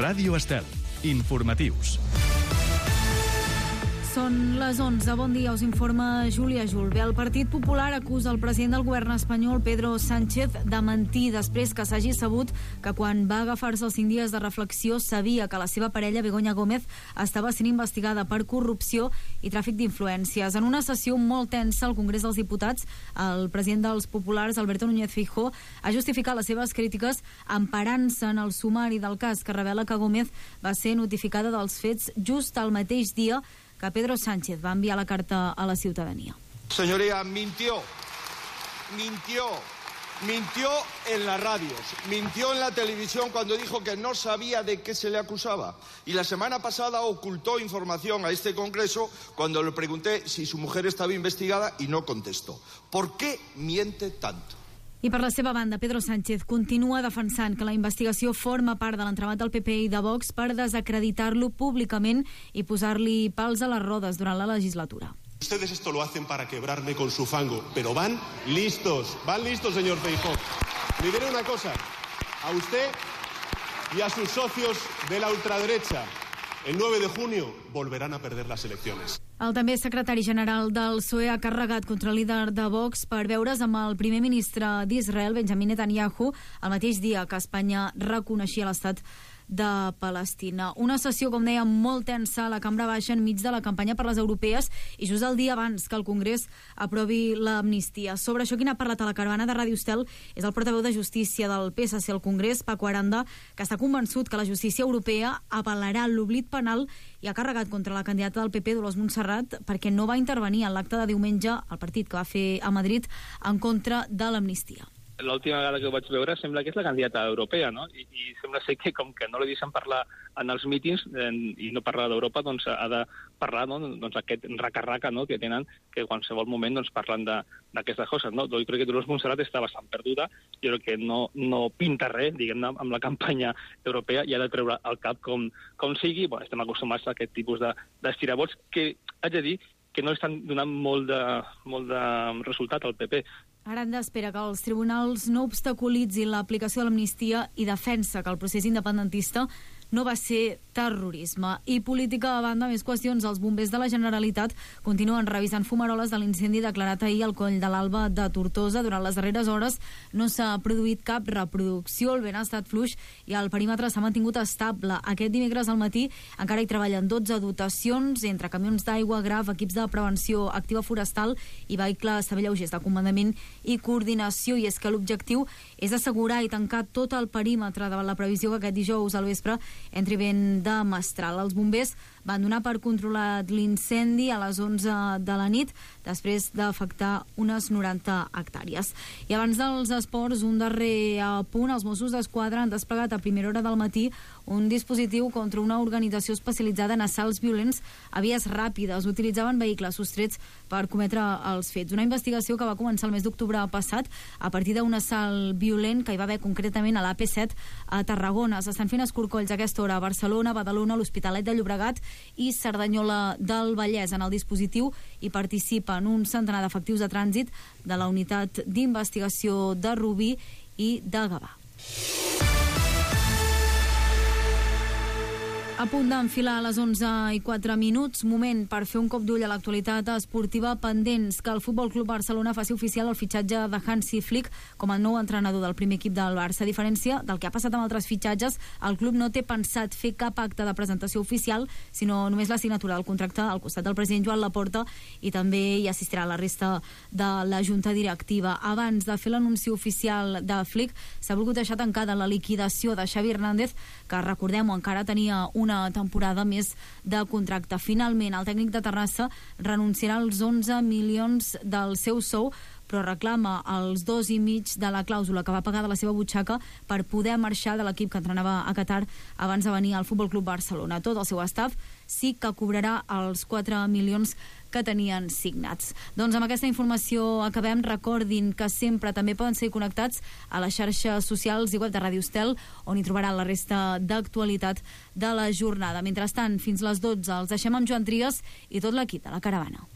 Ràdio Estel. Informatius. Són les 11. Bon dia, us informa Júlia Julve. El Partit Popular acusa el president del govern espanyol, Pedro Sánchez, de mentir després que s'hagi sabut que quan va agafar-se els 5 dies de reflexió sabia que la seva parella, Begoña Gómez, estava sent investigada per corrupció i tràfic d'influències. En una sessió molt tensa al Congrés dels Diputats, el president dels Populars, Alberto Núñez Feijóo, ha justificat les seves crítiques emparant-se en el sumari del cas que revela que Gómez va ser notificada dels fets just el mateix dia que Pedro Sánchez va enviar la carta a la ciudadanía. Señoría, mintió en las radios, mintió en la televisión cuando dijo que no sabía de qué se le acusaba. Y la semana pasada ocultó información a este Congreso cuando le pregunté si su mujer estaba investigada y no contestó. ¿Por qué miente tanto? I per la seva banda, Pedro Sánchez continua defensant que la investigació forma part de l'entramat del PP i de Vox per desacreditar-lo públicament i posar-li pals a les rodes durant la legislatura. Ustedes esto lo hacen para quebrarme con su fango, pero van listos, señor Feijóo. Le diré una cosa, a usted y a sus socios de la ultraderecha, el 9 de junio volverán a perder las elecciones. El també secretari general del PSOE ha carregat contra el líder de Vox per veure's amb el primer ministre d'Israel, Benjamin Netanyahu, el mateix dia que Espanya reconeixia l'estat de Palestina. Una sessió, com deia, molt tensa a la Cambra Baixa enmig de la campanya per les europees i just el dia abans que el Congrés aprovi l'amnistia. Sobre això, qui n'ha parlat a la caravana de Ràdio Estel és el portaveu de Justícia del PSC al Congrés, Paco Aranda, que està convençut que la justícia europea avalarà l'oblit penal i ha carregat contra la candidata del PP, Dolors Montserrat, perquè no va intervenir en l'acte de diumenge al partit que va fer a Madrid en contra de l'amnistia. L'última vegada que ho vaig veure sembla que és la candidata europea, no? I sembla ser que com que no li deixen parlar en els mítings i no parlar d'Europa, doncs ha de parlar, no? Doncs aquest raca-raca, no? Que tenen, que en qualsevol moment doncs parlen d'aquestes coses, no? Jo crec que Dolors Montserrat està bastant perduda, jo crec que no pinta res, diguem-ne, amb la campanya europea i ha de treure el cap com sigui. Bueno, estem acostumats a aquest tipus d'estirabots que, haig de dir, que no estan donant molt de resultat al PP. Aranda espera que els tribunals no obstaculitzin l'aplicació de l'amnistia i defensa que el procés independentista no va ser terrorisme. I política a banda, més qüestions. Els bombers de la Generalitat continuen revisant fumaroles de l'incendi declarat ahir al Coll de l'Alba de Tortosa. Durant les darreres hores no s'ha produït cap reproducció, el vent ha estat fluix i el perímetre s'ha mantingut estable. Aquest dimecres al matí encara hi treballen 12 dotacions entre camions d'aigua, graf, equips de prevenció activa forestal i vehicles lleugers de comandament i coordinació. I és que l'objectiu és assegurar i tancar tot el perímetre davant la previsió que aquest dijous al vespre entri vent de mestral. Els bombers van donar per controlat l'incendi a les 11 de la nit després d'afectar unes 90 hectàrees. I abans dels esports, un darrer punt. Els Mossos d'Esquadra han desplegat a primera hora del matí un dispositiu contra una organització especialitzada en assalts violents a vies ràpides. Utilitzaven vehicles sostrets per cometre els fets. Una investigació que va començar el mes d'octubre passat a partir d'un assalt violent que hi va haver concretament a l'AP7 a Tarragona. S'estan fent escorcolls a aquesta hora a Barcelona, Badalona, l'Hospitalet de Llobregat i Cerdanyola del Vallès. En el dispositiu hi participen un centenar d'efectius de trànsit de la unitat d'investigació de Rubí i de Gavà. A punt d'enfilar a les 11:04, moment per fer un cop d'ull a l'actualitat esportiva, pendents que el Futbol Club Barcelona faci oficial el fitxatge de Hansi Flick com el nou entrenador del primer equip del Barça. A diferència del que ha passat amb altres fitxatges, el club no té pensat fer cap acte de presentació oficial, sinó només la signatura del contracte al costat del president Joan Laporta, i també hi assistirà la resta de la junta directiva. Abans de fer l'anunci oficial de Flick, s'ha volgut deixar tancada la liquidació de Xavi Hernández, que recordem-ho, encara tenia una temporada més de contracte. Finalment, el tècnic de Terrassa renunciarà als 11 milions del seu sou, però reclama els 2,5 de la clàusula que va pagar de la seva butxaca per poder marxar de l'equip que entrenava a Qatar abans de venir al Futbol Club Barcelona. Tot el seu staff sí que cobrarà els 4 milions que tenien signats. Doncs amb aquesta informació acabem. Recordin que sempre també poden ser connectats a les xarxes socials i web de Ràdio Estel, on hi trobaran la resta d'actualitat de la jornada. Mentrestant, fins les 12 els deixem amb Joan Trias i tot l'equip de la caravana.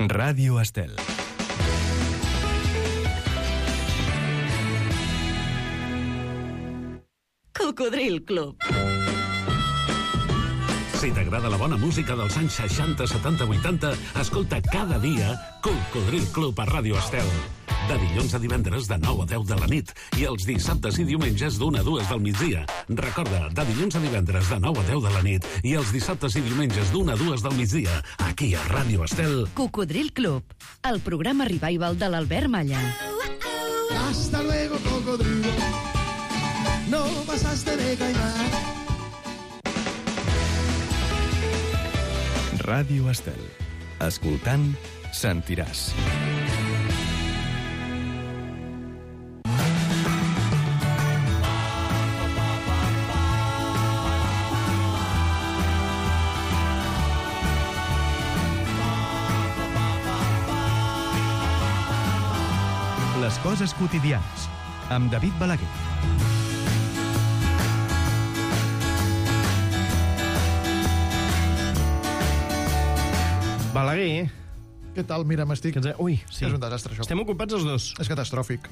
Ràdio Estel. Cocodril Club. Si t'agrada la bona música dels anys 60, 70, 80, escolta cada dia Cocodril Club a Ràdio Estel. De dilluns a divendres de 9 a 10 de la nit i els dissabtes i diumenges d'1 a 2 del migdia. Recorda, de dilluns a divendres de 9 a 10 de la nit i els dissabtes i diumenges d'1 a 2 del migdia, aquí a Ràdio Estel. Cocodril Club, el programa revival de l'Albert Malla. Hasta luego, cocodrilo. No pasaste de caimán. Ràdio Estel. Escoltant, sentiràs. Les coses quotidianes, amb David Balaguer. Balaguer. Què tal? Mira, m'estic... Ui, sí. És un desastre, això. Estem ocupats els dos. És catastròfic.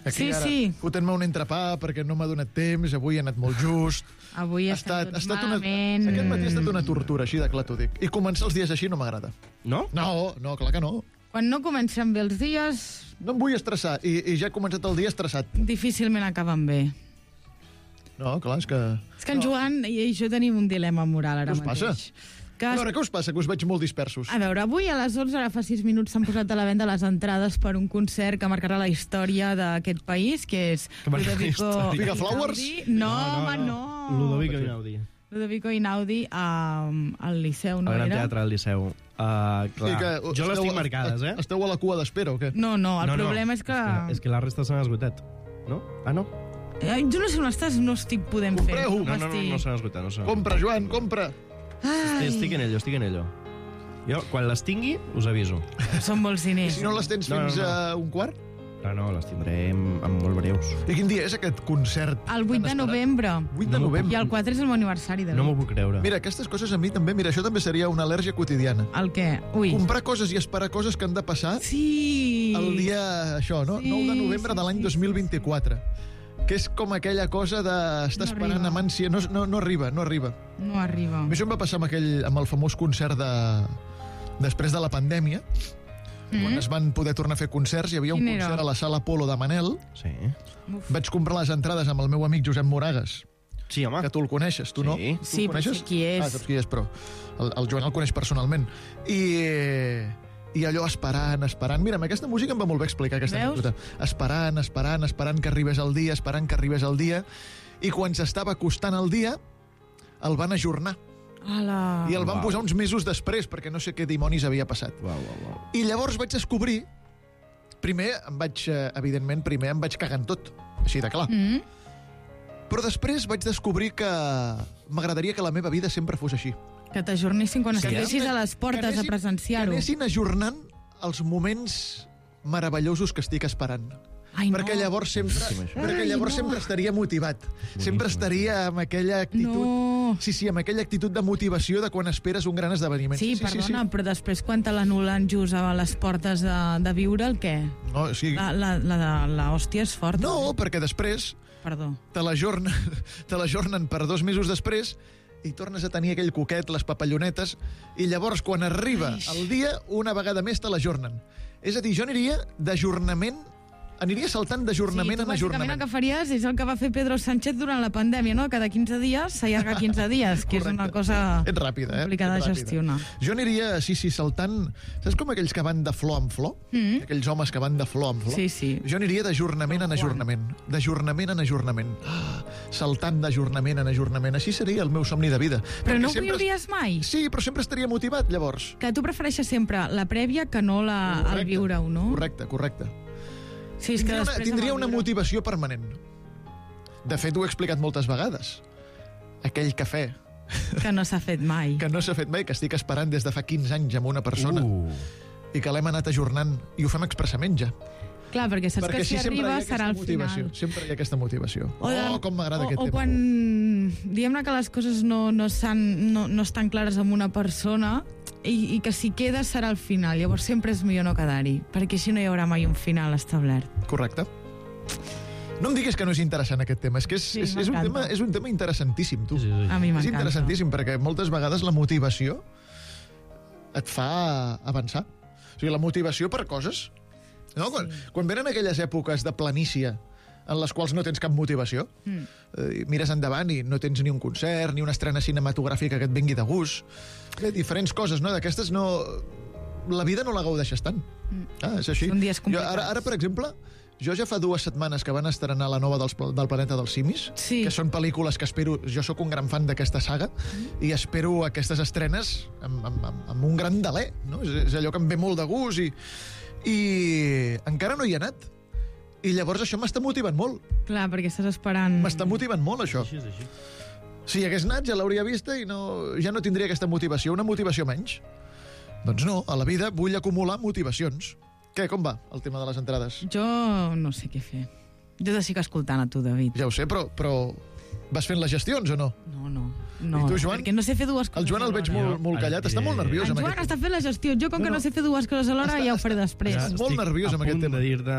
Aquí Sí, ara, sí. fotent-me un entrepà perquè no m'ha donat temps, avui ha anat molt just. Avui Ha estem tots malament. Aquest matí ha estat una tortura, així de clar t'ho dic. I començar els dies així no m'agrada. No? No, clar que no. Quan no comencen bé els dies, No em vull estressar, i ja he començat el dia estressat. difícilment acaben bé. No, clar, és que... És que en Joan i jo tenim un dilema moral ara Què us mateix. passa? Que A veure, què us passa? Que us veig molt dispersos. A veure, avui a les 11, ara fa 6 minuts, s'han posat a la venda les entrades per un concert que marcarà la història d'aquest país, que és Que marcarà la Ludovico història. Figa Flowers? Einaudi. No, home, no. Ludovico Einaudi. Ludovico Einaudi al Liceu, no El Gran era? Teatre del Liceu. Clar, Sí, que jo les tinc marcades, eh? Esteu a la cua d'espera o què? No, el problema és que... És que la resta s'han esgotat. No? Ah, no? Jo no sé on estàs, no estic podent fer. Compreu. No s'han esgotat. No s'han Compra, Joan, compra. Estic en ello. Jo, quan les tingui, us aviso. Són molts I diners. si no les tens No, fins no. a un quart? No, les tindré en molt breus. I quin dia és aquest concert? El 8 de novembre. 8 de novembre. I el 4 és el meu aniversari. No m'ho puc creure. Mira, aquestes coses a mi també... Mira, això també seria una al·lèrgia quotidiana. El què? Ui. Comprar coses i esperar coses que han de passar Sí. el dia, això, no? Sí, 9 de novembre de l'any 2024. Que és com aquella cosa d'estar No esperant arriba. amb ànsia. No arriba. No arriba. A mi això em va passar amb el famós concert després de la pandèmia, quan es van poder tornar a fer concerts. Hi havia un Quin era? concert a la Sala Apolo de Manel. Sí. Vaig comprar les entrades amb el meu amic Josep Moragas, Sí, home. que tu el coneixes, tu no? Sí. Tu Sí, el però sé coneixes? qui és. Saps qui és, però el Joan el coneix personalment. I allò esperant. Mira, amb aquesta música em va molt bé explicar aquesta Veus? anècdota. Esperant que arribés el dia, i quan s'estava acostant el dia, el van ajornar. Ala. I el van posar uns mesos després, perquè no sé què dimonis havia passat. Uau. I llavors vaig descobrir... Evidentment, primer em vaig cagar en tot, així de clar. Però després vaig descobrir que m'agradaria que la meva vida sempre fos així. Que t'ajornissin quan Que estiguessis anessin- a les portes que a presenciar-ho. Que anessin ajornant els moments meravellosos que estic esperant. Ai, no. Perquè llavors sempre estaria motivat. Sempre estaria amb aquella actitud... No. Sí, amb aquella actitud de motivació de quan esperes un gran esdeveniment. Sí, perdona, però després quan te l'anulen just a les portes de viure, el què? No, sí. La hòstia és forta. No, perquè després Perdó. te l'ajornen per 2 mesos després i tornes a tenir aquell coquet, les papallonetes, i llavors, quan arriba el dia, una vegada més te l'ajornen. És a dir, jo aniria saltant d'ajornament en bàsicament ajornament. el que faries és el que va fer Pedro Sánchez durant la pandèmia, no? Cada 15 dies s'allarga 15 dies, que és una cosa Ets ràpida, complicada Ets de ràpida. gestionar. Jo aniria, sí, saltant... Saps com aquells que van de flor en flor? Aquells homes que van de flor en flor? Sí. Jo aniria d'ajornament en ajornament. D'ajornament en ajornament. Saltant d'ajornament en ajornament. Així seria el meu somni de vida. Però Perquè no ho sempre- viuries mai? Sí, però sempre estaria motivat, llavors. Que tu prefereixes sempre la prèvia que no el viure-ho, no? Correcte. Sí, és que Tindria una motivació permanent. De fet, ho he explicat moltes vegades. Aquell cafè que no s'ha fet mai. que no s'ha fet mai, que estic esperant des de fa 15 anys amb una persona i que l'hem anat ajornant, i ho fem expressament ja. Clar, perquè saps que si arriba serà el final. Sempre hi ha aquesta motivació. Com m'agrada aquest tema. O quan diguem-ne que les coses no estan clares amb una persona i que si queda serà el final. Llavors sempre és millor no quedar-hi, perquè així no hi haurà mai un final establert. Correcte. No em diguis que no és interessant aquest tema, és que és un tema interessantíssim, tu. Sí. A mi m'encanta. És interessantíssim, perquè moltes vegades la motivació et fa avançar. O sigui, la motivació per coses. No? Quan venen aquelles èpoques de planícia en les quals no tens cap motivació, mires endavant i no tens ni un concert, ni una estrena cinematogràfica que et vingui de gust. Diferents coses, no? D'aquestes no... La vida no la gaudeixes tant. És així. Són dies complicats. Ara, per exemple, jo ja fa 2 setmanes que van estrenar la nova del Planeta dels Simis, que són pel·lícules que espero... Jo sóc un gran fan d'aquesta saga i espero aquestes estrenes amb un gran deler. No? És allò que em ve molt de gust i encara no hi he anat. I llavors això m'està motivant molt. Clar, perquè estàs esperant... M'està motivant molt, això. Així és així. Si hi hagués anat, ja l'hauria vista i ja no tindria aquesta motivació, una motivació menys. Doncs no, a la vida vull acumular motivacions. Què, com va el tema de les entrades? Jo no sé què fer. Jo estic escoltant a tu, David. Ja ho sé, però vas fent les gestions o no? No. I tu, Joan? Perquè no sé fer dues coses. El Joan el veig molt callat, està molt nerviós. El Joan està fent la gestió. Jo, com que no sé fer dues coses alhora, ja ho faré després. Estàs molt nerviós amb aquest tema. A punt de dir-te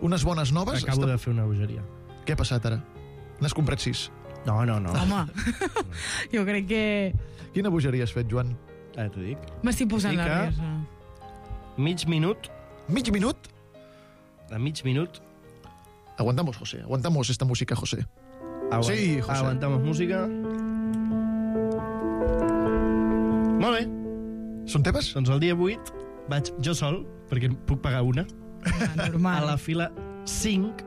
unes bones noves. Acabo de fer una bogeria. Què ha passat ara? N'has comprat 6? No. Home, jo crec que... Quina bogeria has fet, Joan? T'ho dic. M'estic posant nerviosa. Mig minut. Mig minut? A mig minut. Aguantamos, José. Aguantamos esta música, José. Sí, José. Aguantamos música. Molt bé. Són teves? Doncs el dia 8 vaig jo sol, perquè puc pagar una, normal. a la fila 5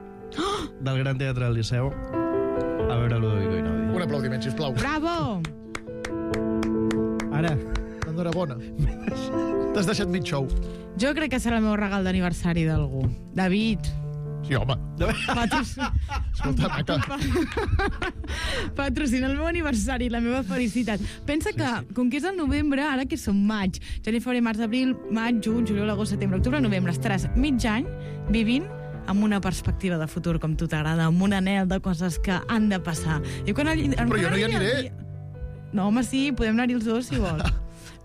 del Gran Teatre del Liceu a veure Ludovico Einaudi. Un aplaudiment, sisplau. Bravo! Ara. Enhorabona. T'has deixat mig show. Jo crec que serà el meu regal d'aniversari d'algú. David. Sí, home. Escolta, maca. Patrocina el meu aniversari, la meva felicitat. Pensa que, com que és el novembre, ara que som maig, gener, febrer, març, abril, maig, juny, juliol, agost, setembre, octubre, novembre, estaràs mig any vivint amb una perspectiva de futur com tu t'agrada, amb un anel de coses que han de passar. Però jo no hi aniré. No, home, sí, podem anar-hi els dos, si vols.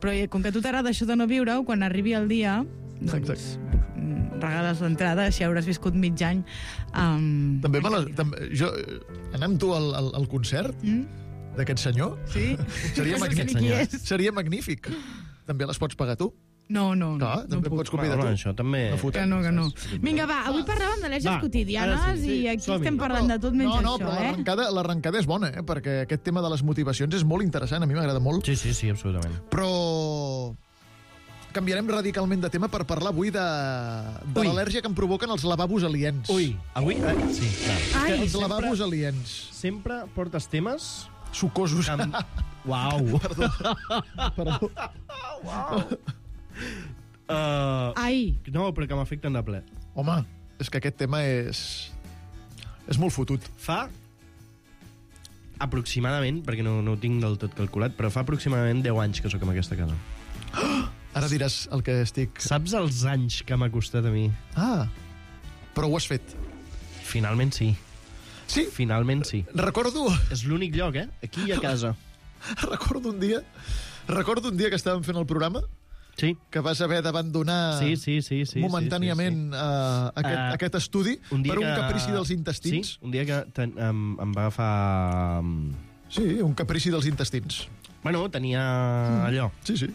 Però com que a tu t'agrada això de no viure-ho, quan arribi el dia, doncs regales l'entrada, així hauràs viscut mig any. També anar amb tu al concert d'aquest senyor? Sí. Seria magnífic. També les pots pagar tu? No. També pots convidar tu. Això també... Que no. Vinga, va, avui parlàvem de leges quotidianes i aquí estem parlant de tot menys això, però l'arrencada és bona, perquè aquest tema de les motivacions és molt interessant, a mi m'agrada molt. Sí, absolutament. Però canviarem radicalment de tema per parlar avui de l'al·lèrgia que em provoquen els lavabos aliens. Ui, avui... Sí, clar. Els lavabos aliens. Sempre portes temes... Sucosos. Uau. Perdó. Uau. No, però que m'afecten de ple. Home, és que aquest tema és molt fotut. Fa aproximadament, perquè no ho tinc del tot calculat, però fa aproximadament 10 anys que sóc en aquesta casa. Ara diràs el que estic... Saps els anys que m'ha costat a mi? Però ho has fet. Finalment sí. Sí? Finalment sí. Recordo... És l'únic lloc, aquí i a casa. Recordo un dia que estàvem fent el programa, que vas haver d'abandonar momentàniament aquest estudi per un caprici dels intestins. Sí, un dia que em va agafar... Sí, un caprici dels intestins. Bueno, tenia allò. Sí.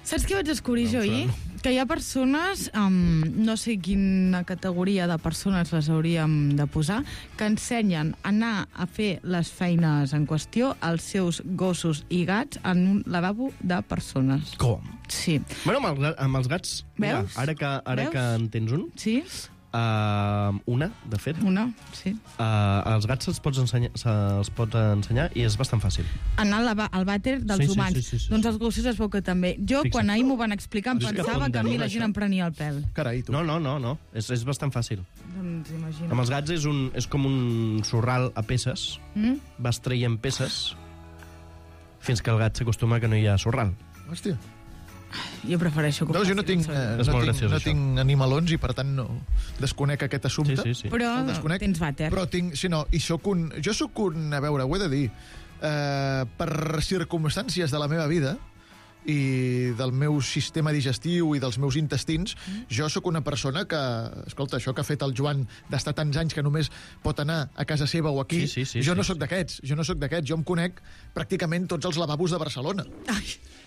Saps què vaig descobrir jo ahir? Que hi ha persones, no sé quina categoria de persones les hauríem de posar, que ensenyen a anar a fer les feines en qüestió als seus gossos i gats en un lavabo de persones. Com? Sí. Bueno, amb els gats, mira, ara que en tens un... Sí. Una, de fet. Una, sí. Els gats se'ls pot ensenyar i és bastant fàcil. Anar al vàter dels humans. Sí. Doncs els gossos es veu que també. Jo, quan ahir m'ho van explicar, em pensava que a mi la gent em prenia el pèl. Carai, tu. No. És bastant fàcil. Doncs imagina't. Amb els gats és com un sorral a peces. Vas traient peces fins que el gat s'acostuma que no hi ha sorral. Hòstia. Jo prefereixo que jo no tinc animalons i per tant no desconec aquest assumpte. Sí. Però tens vàter. Però jo sóc un, a veure, ho he de dir, per circumstàncies de la meva vida, i del meu sistema digestiu i dels meus intestins, jo sóc una persona que, escolta, això que ha fet el Joan d'estar tants anys que només pot anar a casa seva o aquí, jo no sóc d'aquests, jo em conec pràcticament tots els lavabos de Barcelona.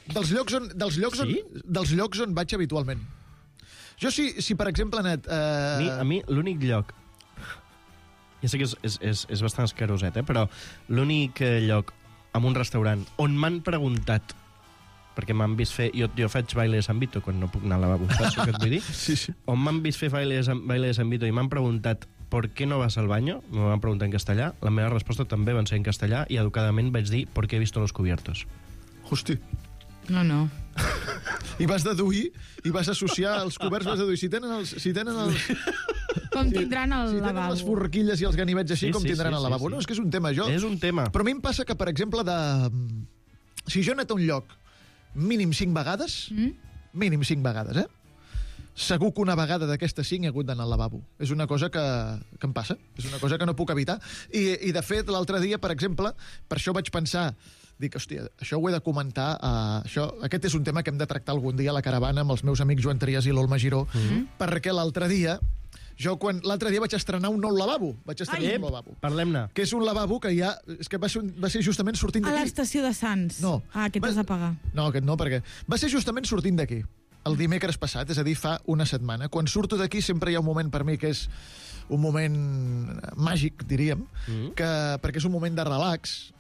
Dels llocs on vaig habitualment. Jo si per exemple, Net... A mi l'únic lloc... Ja sé que és bastant escaroset, però l'únic lloc en un restaurant on m'han preguntat, perquè m'han vist fer... Jo faig baile de San Vito quan no puc anar al lavabo, saps què et vull dir? Sí. On m'han vist fer baile de San Vito i m'han preguntat ¿por qué no vas al baño? Me van preguntar en castellà. La meva resposta també va ser en castellà i educadament vaig dir ¿por qué he visto los cubiertos? Hosti. No. I vas deduir, i vas associar els coberts, vas deduir, si tenen els... Com tindran el lavabo. Si tenen les forquilles i els ganivets així, com tindran el lavabo. No, és que és un tema, És un tema. Però a mi em passa que, per exemple, si jo he anat a un lloc mínim 5 vegades, segur que una vegada d'aquestes 5 he hagut d'anar al lavabo. És una cosa que em passa, és una cosa que no puc evitar. I de fet, l'altre dia, per exemple, per això vaig pensar, dic, hòstia, això ho he de comentar, aquest és un tema que hem de tractar algun dia a la caravana amb els meus amics Joan Trias i l'Olma Giró, perquè l'altre dia vaig estrenar un nou lavabo. Parlem-ne. Que és un lavabo que ja... És que va ser justament sortint d'aquí. A l'estació de Sants. No. Aquest has de pagar. No, aquest no, perquè va ser justament sortint d'aquí. El dimecres passat, és a dir, fa una setmana. Quan surto d'aquí sempre hi ha un moment per mi que és un moment màgic, diríem, perquè és un moment de relax,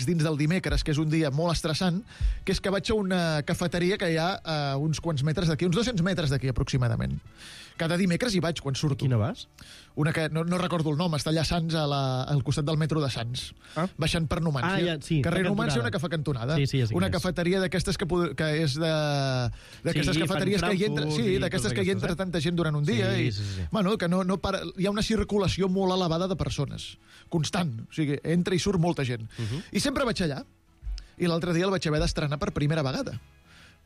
dins del dimecres, que és un dia molt estressant, que és que vaig a una cafeteria que hi ha a uns quants metres d'aquí, uns 200 metres d'aquí aproximadament. Cada dimecres hi vaig quan surto. Quina vas? Una que no recordo el nom, està allà a Sants, al costat del metro de Sants, baixant per Numància. Carrer Numància, una cafè cantonada. Una cafeteria d'aquestes que és d'aquestes cafeteries que hi entra... Sí, d'aquestes que hi entra tanta gent durant un dia. Bueno, que no para... Hi ha una circulació molt elevada de persones. Constant. O sigui, entra i surt molta gent. I sempre vaig allà. I l'altre dia el vaig haver d'estrenar per primera vegada.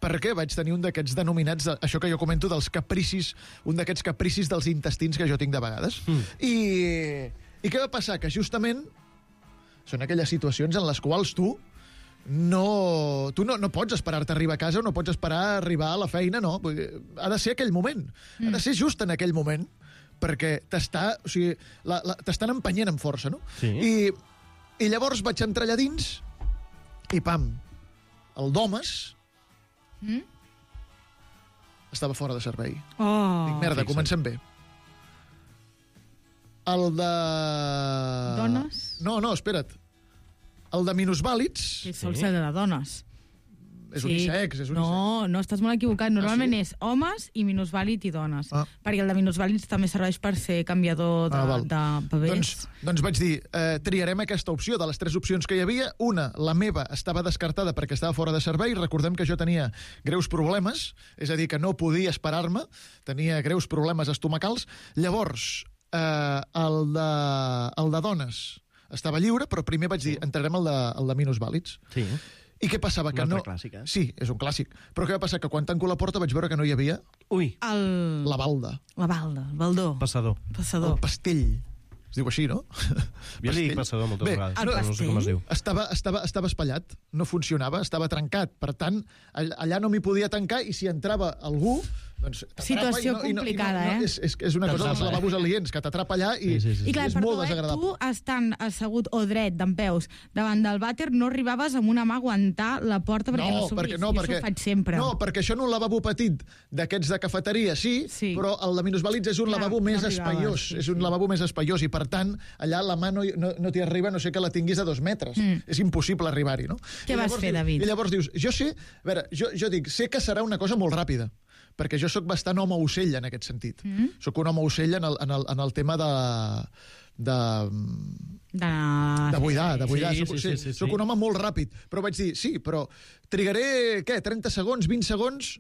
Perquè vaig tenir un d'aquests denominats, això que jo comento dels capricis, un d'aquests capricis dels intestins que jo tinc de vegades. I què va passar? Que justament són aquelles situacions en les quals tu no pots esperar-te a arribar a casa o no pots esperar a arribar a la feina, no. Ha de ser aquell moment. Ha de ser just en aquell moment perquè t'estan empenyent amb força, no? I llavors vaig entrar allà dins i pam, el d'homes estava fora de servei. Dic, merda, comencem bé. El de... Dones? No, espera't. El de minusvàlids... Que sol ser de dones. És unisex, és unisex. No, estàs molt equivocat. Normalment és homes i minusvàlid i dones. Perquè el de minusvàlids també serveix per ser canviador de bebès. Doncs vaig dir, triarem aquesta opció. De les 3 opcions que hi havia, una, la meva, estava descartada perquè estava fora de servei. Recordem que jo tenia greus problemes, és a dir, que no podia esperar-me, tenia greus problemes estomacals. Llavors, el de dones estava lliure, però primer vaig dir, entrarem el de minusvàlids. Sí. I què passava? Un altre clàssic, Sí, és un clàssic. Però què va passar? Que quan tanco la porta vaig veure que no hi havia... La balda. La balda, el baldó. Passador. El pastell. Es diu així, no? Jo li dic passador moltes vegades. No sé com es diu. Estava espatllat, no funcionava, estava trencat. Per tant, allà no m'hi podia tancar i si entrava algú... Situació complicada, És una cosa dels lavabos aliens, que t'atrapa allà i és molt desagradable. Tu, estant assegut o dret dempeus davant del vàter, no arribaves amb una mà a aguantar la porta perquè no s'obrís. Jo això ho faig sempre. No, perquè això en un lavabo petit d'aquests de cafeteria, sí, però el de minusvàlids és un lavabo més espaiós. És un lavabo més espaiós i, per tant, allà la mà no t'hi arriba, no sé que la tinguis a 2 metres. És impossible arribar-hi, no? Què vas fer, David? I llavors dius, jo dic, sé que serà una cosa molt ràpida, perquè jo sóc bastant home-ocell en aquest sentit. Sóc un home-ocell en el tema de buidar. Sóc un home molt ràpid. Però vaig dir, sí, però trigaré, 30 segons, 20 segons,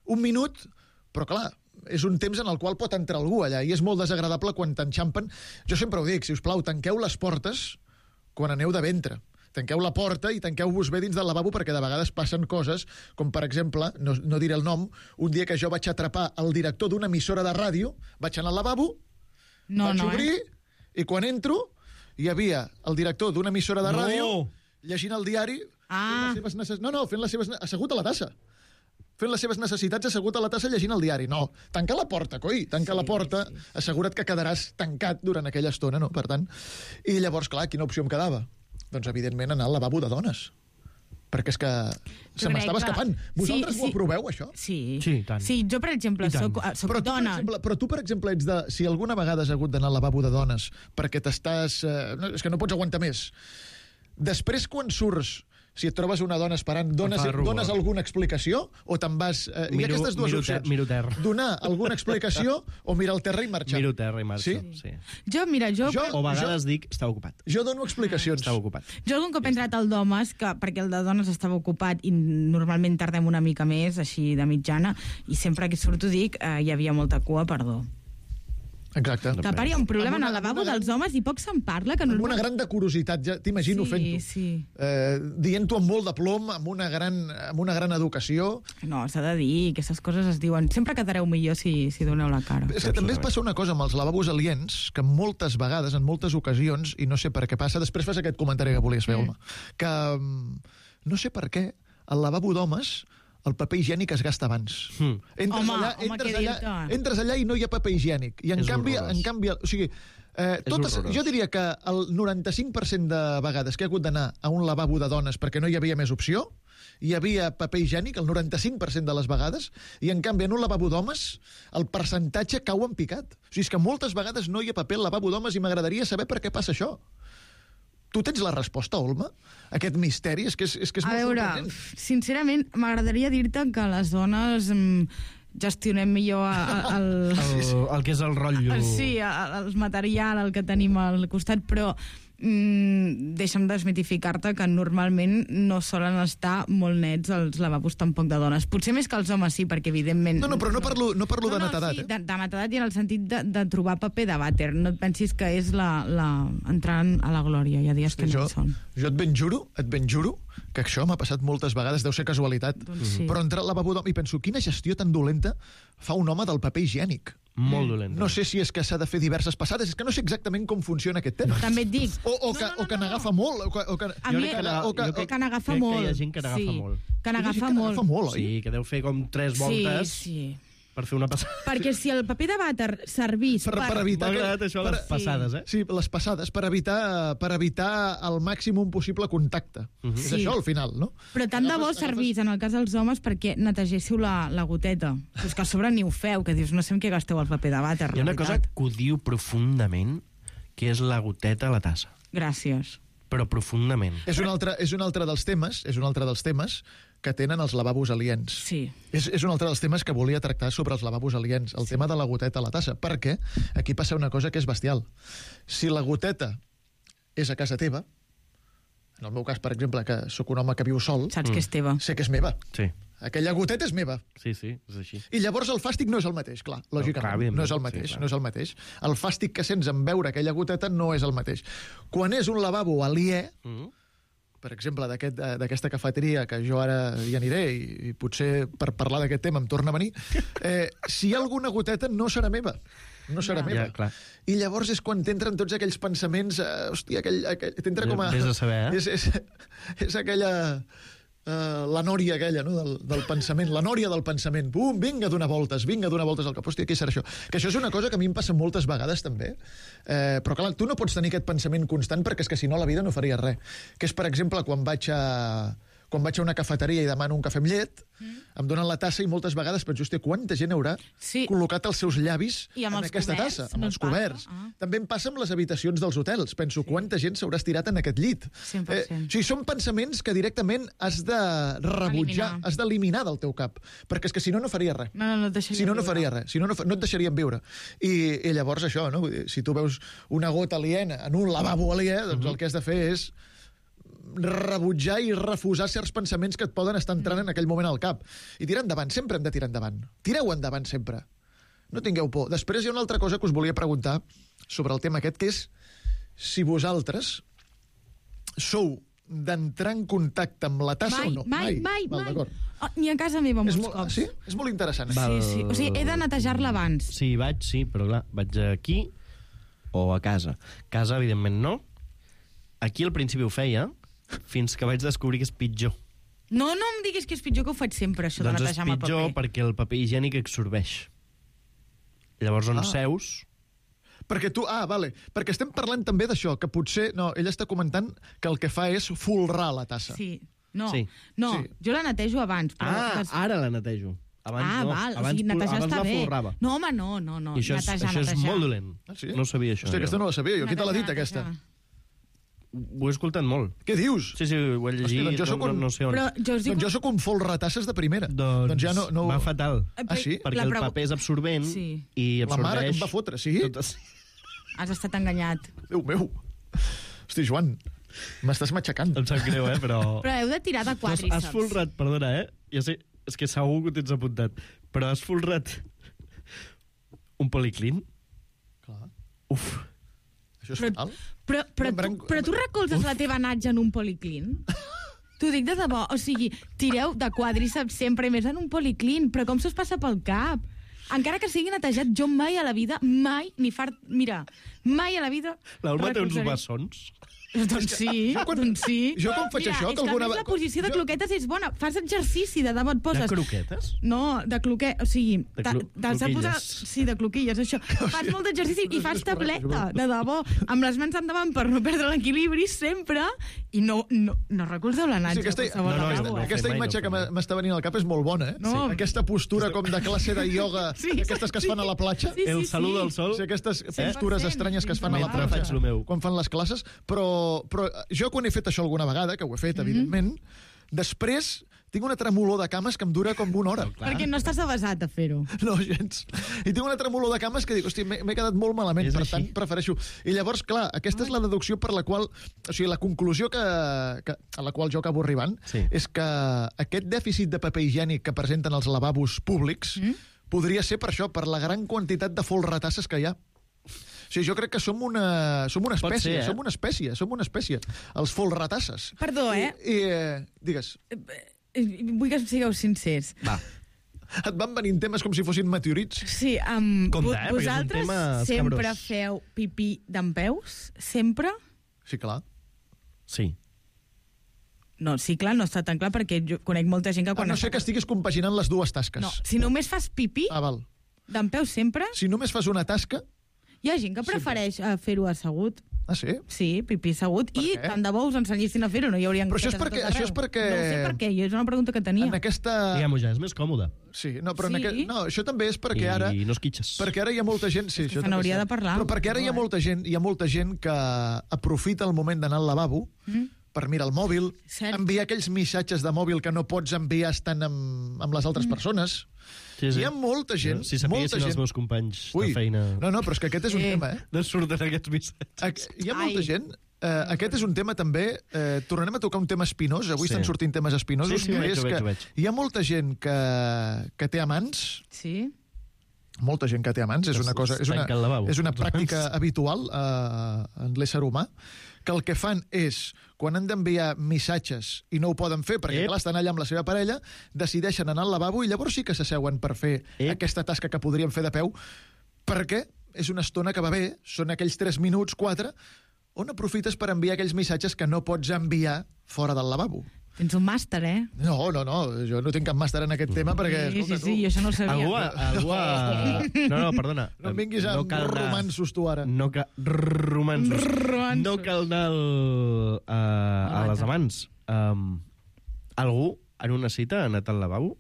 1 minut, però clar, és un temps en el qual pot entrar algú allà, i és molt desagradable quan t'enxampen. Jo sempre ho dic, si us plau, tanqueu les portes quan aneu de ventre. Tanqueu la porta i tanqueu-vos bé dins del lavabo, perquè de vegades passen coses, com per exemple, no diré el nom, un dia que jo vaig atrapar el director d'una emissora de ràdio, vaig anar al lavabo, vaig obrir, i quan entro hi havia el director d'una emissora de ràdio llegint el diari assegut a la tassa. Fent les seves necessitats assegut a la tassa llegint el diari. No, tanca la porta, coi, tanca la porta, assegura't que quedaràs tancat durant aquella estona, no? Per tant, i llavors, clar, quina opció em quedava? Doncs, evidentment, anar al lavabo de dones. Perquè és que se m'estava escapant. Vosaltres ho aproveu, això? Sí, tant. Sí, jo, per exemple, soc dona. Però tu, per exemple, ets de... Si alguna vegada has hagut d'anar al lavabo de dones perquè t'estàs... és que no pots aguantar més. Després, quan surts, si et trobes una dona esperant, dones alguna explicació o te'n vas... Hi ha aquestes dues opcions. Miro terra. Donar alguna explicació o mirar al terra i marxar. Miro terra i marxo, sí. Jo... O a vegades dic, estava ocupat. Jo dono explicacions. Estava ocupat. Jo algun cop he entrat al d'homes, perquè el de dones estava ocupat i normalment tardem una mica més, així de mitjana, i sempre que surto dic, hi havia molta cua, perdó. Exacte. Que a part hi ha un problema en el lavabo dels homes i poc se'n parla. Amb una gran de curiositat, ja t'imagino fent-ho. Sí. Dient-ho amb molt de plom, amb una gran educació. No, s'ha de dir, aquestes coses es diuen. Sempre quedareu millor si doneu la cara. És que també es passa una cosa amb els lavabos aliens, que moltes vegades, en moltes ocasions, i no sé per què passa, després fas aquest comentari que volies fer, home, que no sé per què el lavabo d'homes el paper higiènic es gasta abans. Entres allà i no hi ha paper higiènic. I en canvi, o sigui, jo diria que el 95% de vegades que he hagut d'anar a un lavabo de dones perquè no hi havia més opció, hi havia paper higiènic el 95% de les vegades, i en canvi en un lavabo d'homes el percentatge cau en picat. O sigui, és que moltes vegades no hi ha paper al lavabo d'homes i m'agradaria saber per què passa això. Tu tens la resposta, Olma? Aquest misteri? És que és molt sorprenent. Sincerament, m'agradaria dir-te que les dones gestionem millor el que és el rotllo... Sí, el material, el que tenim al costat, però deixa'm desmitificar-te que normalment no solen estar molt nets els lavabos tampoc de dones. Potser més que els homes sí, perquè evidentment... No, però no parlo de netedat. Sí, de netedat i en el sentit de trobar paper de vàter. No et pensis que és entrant a la glòria. Hi ha dies que no hi són. Jo et ben juro que això m'ha passat moltes vegades, deu ser casualitat, però entrar al lavabo d'home i penso, quina gestió tan dolenta fa un home del paper higiènic. Molt dolent. No sé si és que s'ha de fer diverses passades, és que no sé exactament com funciona aquest tema. També et dic. O que n'agafa molt. A mi, que n'agafa molt. Crec que hi ha gent que n'agafa molt. Que n'agafa molt. Sí, que deu fer com 3 voltes. Sí. Per fer una passada. Perquè si el paper de vàter servís per evitar... M'ha agradat això, les passades, Sí, les passades, per evitar el màxim possible contacte. És això, al final, no? Però tant de bo servís, en el cas dels homes, perquè netegéssiu la goteta. És que a sobre ni ho feu, que dius, no sé en què gasteu el paper de vàter. Hi ha una cosa que ho diu profundament, que és la goteta a la tassa. Gràcies. Però profundament. És un altre dels temes que tenen els lavabos aliens. Sí. És un altre dels temes que volia tractar sobre els lavabos aliens, el tema de la goteta a la tassa, perquè aquí passa una cosa que és bestial. Si la goteta és a casa teva, en el meu cas, per exemple, que sóc un home que viu sol... Saps que és teva. Sé que és meva. Sí. Aquella goteta és meva. Sí, és així. I llavors el fàstic no és el mateix, clar, lògicament. No és el mateix. El fàstic que sents en veure aquella goteta no és el mateix. Quan és un lavabo aliè, per exemple, d'aquesta cafeteria, que jo ara hi aniré i potser per parlar d'aquest tema em torna a venir, si hi ha alguna goteta no serà meva. No serà meva. Clar. I llavors és quan t'entren tots aquells pensaments... Hòstia, t'entra com a... Vés a saber, És aquella... la nòria aquella, no?, del pensament, la nòria del pensament. Pum, vinga a donar voltes al cap. Hòstia, què serà això? Que això és una cosa que a mi em passa moltes vegades, també. Però, clar, tu no pots tenir aquest pensament constant perquè és que, si no, la vida no faria res. Que és, per exemple, quan vaig a una cafeteria i demano un cafè amb llet, em donen la tassa i moltes vegades penso, hòstia, quanta gent haurà col·locat els seus llavis en aquesta tassa, amb els coberts. També em passa amb les habitacions dels hotels. Penso, quanta gent s'haurà estirat en aquest llit. 100%. O sigui, són pensaments que directament has de rebutjar, has d'eliminar del teu cap, perquè és que si no, no faria res. No et deixaria no faria res. Si no, no et deixarien viure. I llavors això, no? Si tu veus una gota aliena en un lavabo aliè, doncs el que has de fer és rebutjar i refusar certs pensaments que et poden estar entrant en aquell moment al cap. I tirar endavant, sempre hem de tirar endavant. Tireu endavant sempre. No tingueu por. Després hi ha una altra cosa que us volia preguntar sobre el tema aquest, que és si vosaltres sou d'entrar en contacte amb la tassa o no. Mai. Ni a casa meva molts cops. Sí? És molt interessant. Sí. O sigui, he de netejar-la abans. Sí, però clar, vaig aquí o a casa. Casa, evidentment, no. Aquí al principi ho feia, fins que vaig descobrir que és pitjor. No em diguis que és pitjor, que ho faig sempre, això Doncs de és netejar amb el pitjor paper. perquè el paper higiènic absorbeix. Llavors on seus... Perquè tu... vale. Perquè estem parlant també d'això, que potser... No, ella està comentant que el que fa és folrar la tassa. Sí. No, Sí. jo la netejo abans. Però Ara la netejo. Abans no. val, Abans, o sigui, netejar abans està la bé. folrava. No, home, no. I això és molt dolent. Sí? No ho sabia, això. Hòstia, aquesta no la sabia jo. Qui te l'ha dit, Netejar. aquesta? Ho he escoltat molt. Què dius? Sí, ho he llegit, Hòstia, doncs jo soc un- no sé on. Però jo us dic... Doncs jo sóc un folratasses de primera. Doncs ja no... va fatal. Sí? Perquè el paper és absorbent i La absorbeix... mare que em va fotre, sí? Has estat enganyat. Déu meu. Hosti, Joan, m'estàs matxacant. Em sap greu, però... Però heu de tirar de quadríceps. Has folrat, perdona, Ja sé, és que segur que ho tens apuntat, però has folrat un policlín? Clar. Uf. Això és fatal. Però tu recolzes la teva natja en un policlín? T'ho dic de debò. O sigui, tireu de quadríceps sempre, més en un policlín. Però com se us passa pel cap? Encara que sigui netejat, jo mai a la vida, mai, mira, mai a la vida... L'Alba té uns recolzaré. bessons. Doncs sí, doncs sí. Jo com faig això? Mira, és que a més la posició de cloquetes és bona. Fas exercici, de debò et poses... De croquetes? No, de cloquet, o sigui... cloquilles. Sí, de cloquilles, això. Fas molt d'exercici i fas tableta, de debò, amb les mans endavant per no perdre l'equilibri sempre, i no recolzeu la natja. Aquesta imatge que m'està venint al cap és molt bona, eh? No. Aquesta postura com de classe de ioga, aquestes que es fan a la platja. El salut al sol. Sí, aquestes postures estranyes que es fan a la Mentre faig platja lo meu. quan fan les classes, però jo quan he fet això alguna vegada, que ho he fet, evidentment, després tinc una tremolor de cames que em dura com una hora. Perquè no estàs avasat a fer-ho. No, gens. I tinc una tremolor de cames que dic, hosti, m'he quedat molt malament, per tant, prefereixo... I llavors, clar, aquesta és la deducció per la qual... O sigui, la conclusió a la qual jo acabo arribant és que aquest dèficit de paper higiènic que presenten els lavabos públics podria ser per això, per la gran quantitat de folratasses que hi ha. O sigui, jo crec que som una espècie, som una espècie, els folratasses. Perdó, Digues. Vull que sigueu sincers. Va. Et van venint temes com si fossin meteorits? Sí, vosaltres sempre feu pipí dempeus? Sempre? Sí, clar. Sí. No, sí, clar, no està tan clar, perquè jo conec molta gent que quan... no sé que estiguis compaginant les dues tasques. No, si només fas pipí, val. dempeus sempre... Si només fas una tasca... Hi ha gent que prefereix fer-ho assegut. Ah, sí? Sí, pipí assegut. I tant de bo us ensenyessin a fer-ho, no hi haurien... Però això és perquè... No sé per què, és una pregunta que tenia. En aquesta... Diguem-ho ja, és més còmode. Sí, no, però no, això també és perquè ara... I no esquitxes. Perquè ara hi ha molta gent... Sí, se n'hauria de parlar. Però perquè ara hi ha molta gent que aprofita el moment d'anar al lavabo per mirar el mòbil, enviar aquells missatges de mòbil que no pots enviar estant amb les altres persones. Sí. Hi ha molta gent... Si sapiguessin els meus companys de feina... No, però és que aquest és un tema, No surten aquests missatges. Hi ha molta gent... aquest és un tema també... tornarem a tocar un tema espinós. Avui estan sortint temes espinosos. Veig. Hi ha molta gent que té amants... Sí. Molta gent que té amants. És una pràctica habitual en l'ésser humà, que el que fan és, quan han d'enviar missatges i no ho poden fer, perquè clar, estan allà amb la seva parella, decideixen anar al lavabo i llavors sí que s'asseuen per fer aquesta tasca que podrien fer de peu, perquè és una estona que va bé, són aquells 3 minuts, 4, on aprofites per enviar aquells missatges que no pots enviar fora del lavabo. Tens un màster, No, jo no tinc cap màster en aquest tema perquè... Sí, jo això no ho sabia. No, perdona. No em vinguis amb romansos tu ara. No cal anar a les amants. Algú en una cita ha anat al lavabo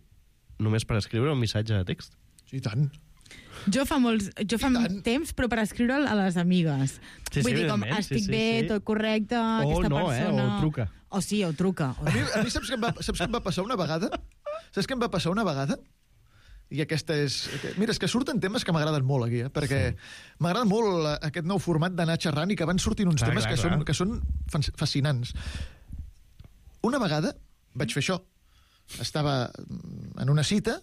només per escriure un missatge de text? Sí, tant. Jo fa temps, però per escriure'l a les amigues. Vull dir, com, estic bé, tot correcte, aquesta persona... O truca. O sí, o truca. A mi saps què em va passar una vegada? Saps què em va passar una vegada? I aquesta és... Mira, és que surten temes que m'agraden molt aquí, perquè m'agrada molt aquest nou format d'anar xerrant i que van sortint uns temes que són fascinants. Una vegada vaig fer això. Estava en una cita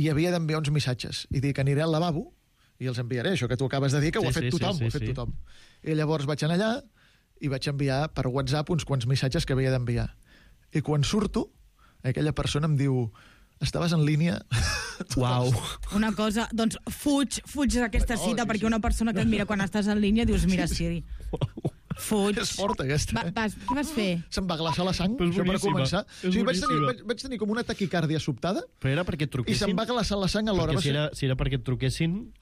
i havia d'enviar uns missatges. I dic, aniré al lavabo i els enviaré, això que tu acabes de dir, que ho ha fet tothom. I llavors vaig anar allà i vaig enviar per WhatsApp uns quants missatges que havia d'enviar. I quan surto, aquella persona em diu, estaves en línia? Uau. Una cosa, doncs fuig d'aquesta cita, perquè una persona que et mira quan estàs en línia dius, mira, Siri. Fuig. És forta, aquesta. Què vas fer? Se'm va glaçar la sang, És això per boníssima. començar. És boníssima. Vaig tenir com una taquicàrdia sobtada Però era perquè et i truquessin? se'm va glaçar la sang alhora. Perquè si era perquè et truquessin...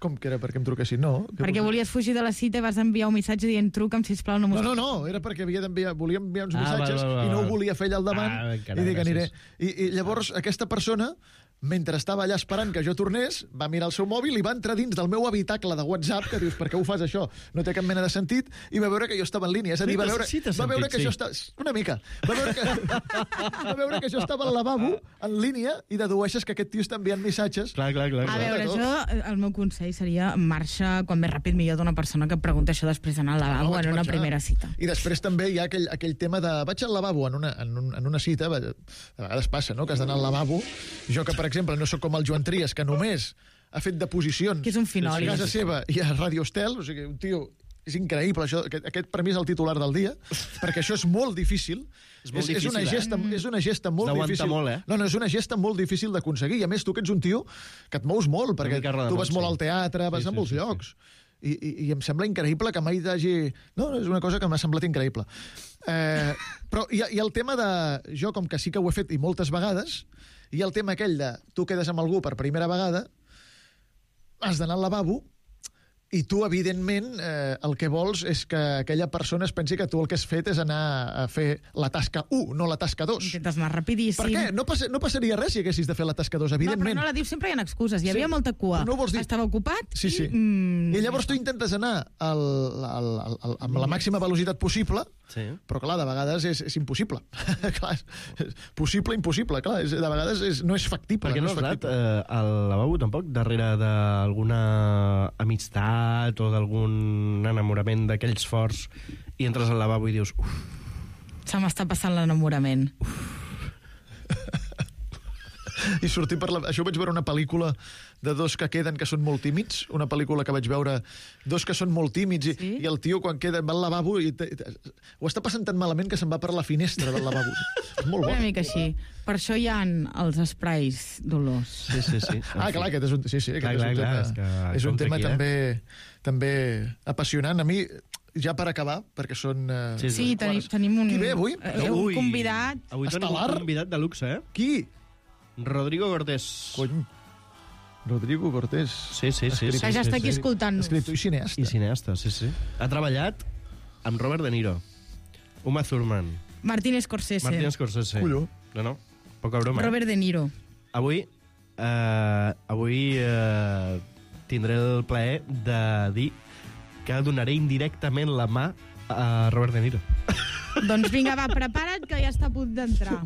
Com que era perquè em truquessin? No. Perquè volies fugir de la cita i vas enviar un missatge dient truca'm, sisplau, no m'ho... No, era perquè volia enviar uns Ah, missatges val. i no ho volia fer allà al davant encara, i dic, aniré. gràcies. I llavors aquesta persona, mentre estava allà esperant que jo tornés, va mirar el seu mòbil i va entrar dins del meu habitacle de WhatsApp, que dius, per què ho fas això? No té cap mena de sentit, i va veure que jo estava en línia. És a dir, va veure que jo estava... Una mica. Va veure que jo estava al lavabo, en línia, i dedueixes que aquest tio està enviant missatges. Clar. A veure, el meu consell seria marxa quan més ràpid millor d'una persona que pregunta això després d'anar al lavabo en una primera cita. I després també hi ha aquell tema de vaig al lavabo en una cita, a vegades passa, no?, que has d'anar al lavabo. Jo que, per exemple, no sóc com el Joan Trias, que només ha fet deposicions que és un finoli. a casa seva i a Radio Estel, o sigui, un tio... És increïble, això. Aquest per mi és el titular del dia, perquè això és molt difícil. És una gesta molt difícil. Molt, No, és una gesta molt difícil d'aconseguir. I a més, tu que ets un tio que et mous molt, perquè tu vas molt al teatre, vas a molts llocs. I em sembla increïble que mai t'hagi... No, és una cosa que m'ha semblat increïble. Però hi ha el tema de... Jo, com que sí que ho he fet i moltes vegades, hi ha el tema aquell de tu quedes amb algú per primera vegada, has d'anar al lavabo, i tu, evidentment, el que vols és que aquella persona es pensi que tu el que has fet és anar a fer la tasca 1, no la tasca 2. Intentes anar rapidíssim. Per què? No passaria res si haguessis de fer la tasca 2, evidentment. No, però no la dius, sempre hi ha excuses. Hi havia molta cua. No vols dir... Estava ocupat Sí. I llavors tu intentes anar amb la màxima velocitat possible, però, clar, de vegades és impossible. Clar, és possible, impossible. Clar, de vegades no és factible. Perquè no has anat al lavabo, tampoc, darrere d'alguna amistat o d'algun enamorament d'aquells forts i entres al lavabo i dius... Se m'està passant l'enamorament. I sortir per Això ho vaig veure una pel·lícula de dos que queden que són molt tímids, una pel·lícula que vaig veure dos que són molt tímids i el tio quan queda va al lavabo i ho està passant tan malament que se'n va per la finestra del lavabo. És molt bo. Una mica així. Per això hi ha els esprais d'olors. Sí. Clar, aquest és un, és un tema també apassionant. A mi, ja per acabar, perquè són... Sí, tenim un... Qui ve avui? Un convidat. Avui tenim un convidat de luxe, Qui? Rodrigo Cortés. Cony. Rodrigo Cortés. Sí. Que ja està aquí escoltant-nos. Escriptor i cineasta. I cineasta, sí. Ha treballat amb Robert De Niro, Uma Thurman, Martin Scorsese. Colló. No, poca broma. Robert De Niro. Avui tindré el plaer de dir que donaré indirectament la mà a Robert De Niro. Doncs vinga, va, prepara't, que ja està a punt d'entrar.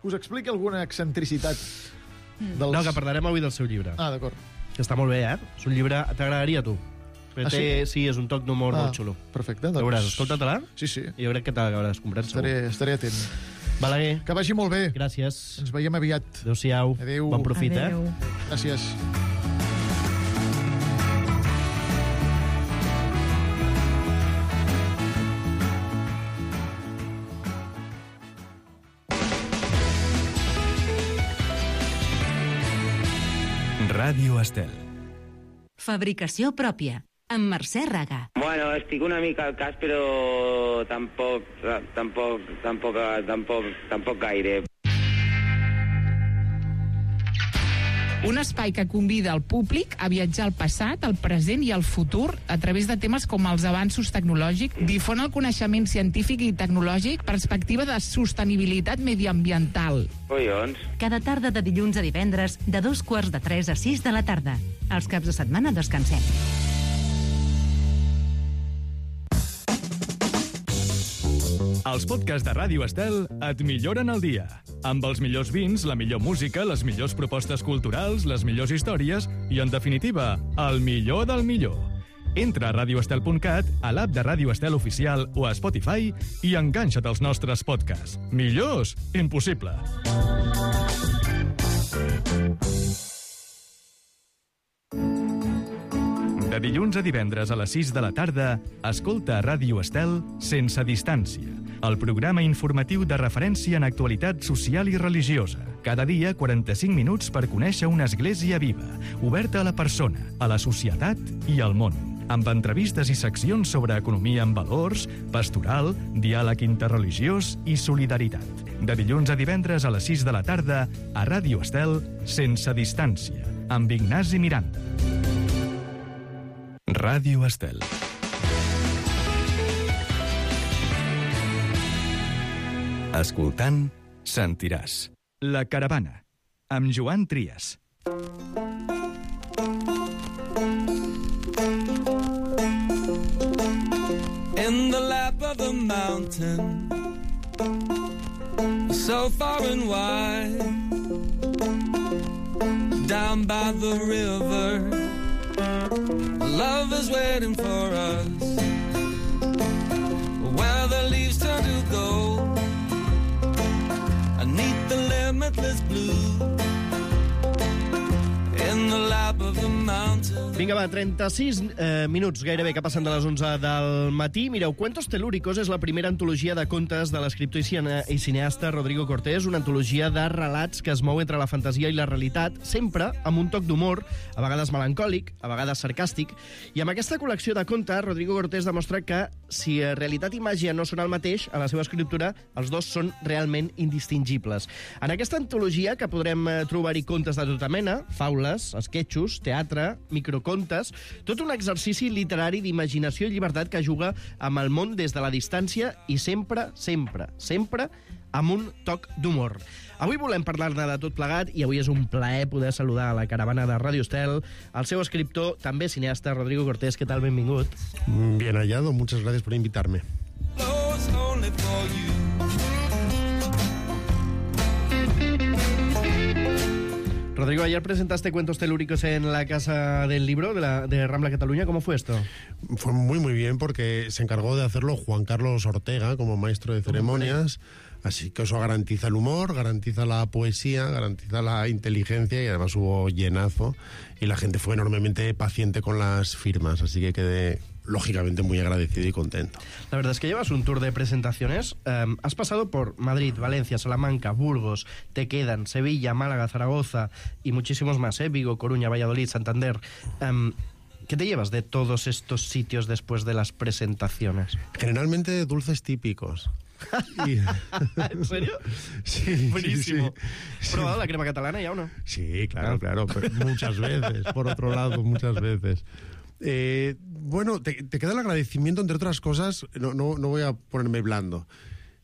Us expliqui alguna excentricitat dels... No, que parlarem avui del seu llibre. Ah, d'acord. Que està molt bé, És un llibre... T'agradaria a tu. Sí, és un toc d'humor molt xulo. Perfecte. Doncs... Veuràs, escolta-te-la. Sí. Jo crec que t'acabaràs comprant segur. Estaré atent. Balaguer. Que vagi molt bé. Gràcies. Ens veiem aviat. Adéu-siau. Adéu. Bon profit, Adéu. Gràcies. Ràdio Estel. Fabricació pròpia, amb Mercè Raga. Bueno, estic una mica al cas, però tampoc gaire. Un espai que convida el públic a viatjar al passat, al present i al futur a través de temes com els avanços tecnològics, difon el coneixement científic i tecnològic, perspectiva de sostenibilitat mediambiental. Collons. Cada tarda de dilluns a divendres, de 2:45 a 6 de la tarda. Els caps de setmana descansem. Els podcasts de Ràdio Estel et milloren el dia. Amb els millors vins, la millor música, les millors propostes culturals, les millors històries i, en definitiva, el millor del millor. Entra a radioestel.cat, a l'app de Ràdio Estel Oficial o a Spotify i enganxa't als nostres podcasts. Millors? Impossible. De dilluns a divendres a les 6 de la tarda, escolta Ràdio Estel Sense Distància, el programa informatiu de referència en actualitat social i religiosa. Cada dia, 45 minuts per conèixer una església viva, oberta a la persona, a la societat i al món. amb entrevistes i seccions sobre economia en valors, pastoral, diàleg interreligiós i solidaritat. De dilluns a divendres a les 6 de la tarda a Ràdio Estel, Sense Distància, amb Ignasi Miranda. Ràdio Estel. Escoltant, sentiràs. La Caravana, amb Joan Trias. In the lap of the mountain, so far and wide, down by the river, love is waiting for us, where the leaves turn to gold, beneath the limitless blue, in the lap of the mountain. Vinga, va, 36 minuts gairebé que passen de les 11 del matí. Mireu, Cuentos Telúricos és la primera antologia de contes de l'escriptor i cineasta Rodrigo Cortés, una antologia de relats que es mou entre la fantasia i la realitat, sempre amb un toc d'humor, a vegades melancòlic, a vegades sarcàstic, i amb aquesta col·lecció de contes, Rodrigo Cortés demostra que si realitat i màgia no són el mateix, a la seva escriptura els dos són realment indistingibles. En aquesta antologia, que podrem trobar-hi contes de tota mena, faules, esquetxos, teatre, microcontes, tot un exercici literari d'imaginació i llibertat que juga amb el món des de la distància i sempre, sempre, sempre amb un toc d'humor. Avui volem parlar-ne de tot plegat i avui és un plaer poder saludar a la caravana de Ràdio Estel el seu escriptor, també cineasta, Rodrigo Cortés. Què tal? Benvingut. Bien hallado, muchas gracias por invitarme. Rodrigo, ayer presentaste Cuentos Telúricos en la Casa del Libro de Rambla Cataluña. ¿Cómo fue esto? Fue muy, muy bien porque se encargó de hacerlo Juan Carlos Ortega como maestro de ceremonias. Así que eso garantiza el humor, garantiza la poesía, garantiza la inteligencia y además hubo llenazo y la gente fue enormemente paciente con las firmas. Así que quedé lógicamente muy agradecido y contento. La verdad es que llevas un tour de presentaciones. Has pasado por Madrid, Valencia, Salamanca, Burgos, te quedan Sevilla, Málaga, Zaragoza y muchísimos más, Vigo, Coruña, Valladolid, Santander. ¿Qué te llevas de todos estos sitios después de las presentaciones? Generalmente dulces típicos. ¿En serio? Sí. Buenísimo. Sí. ¿Has probado la crema catalana ya o no? Sí, claro, pero muchas veces. Por otro lado, muchas veces. Bueno, te queda el agradecimiento, entre otras cosas, no voy a ponerme blando,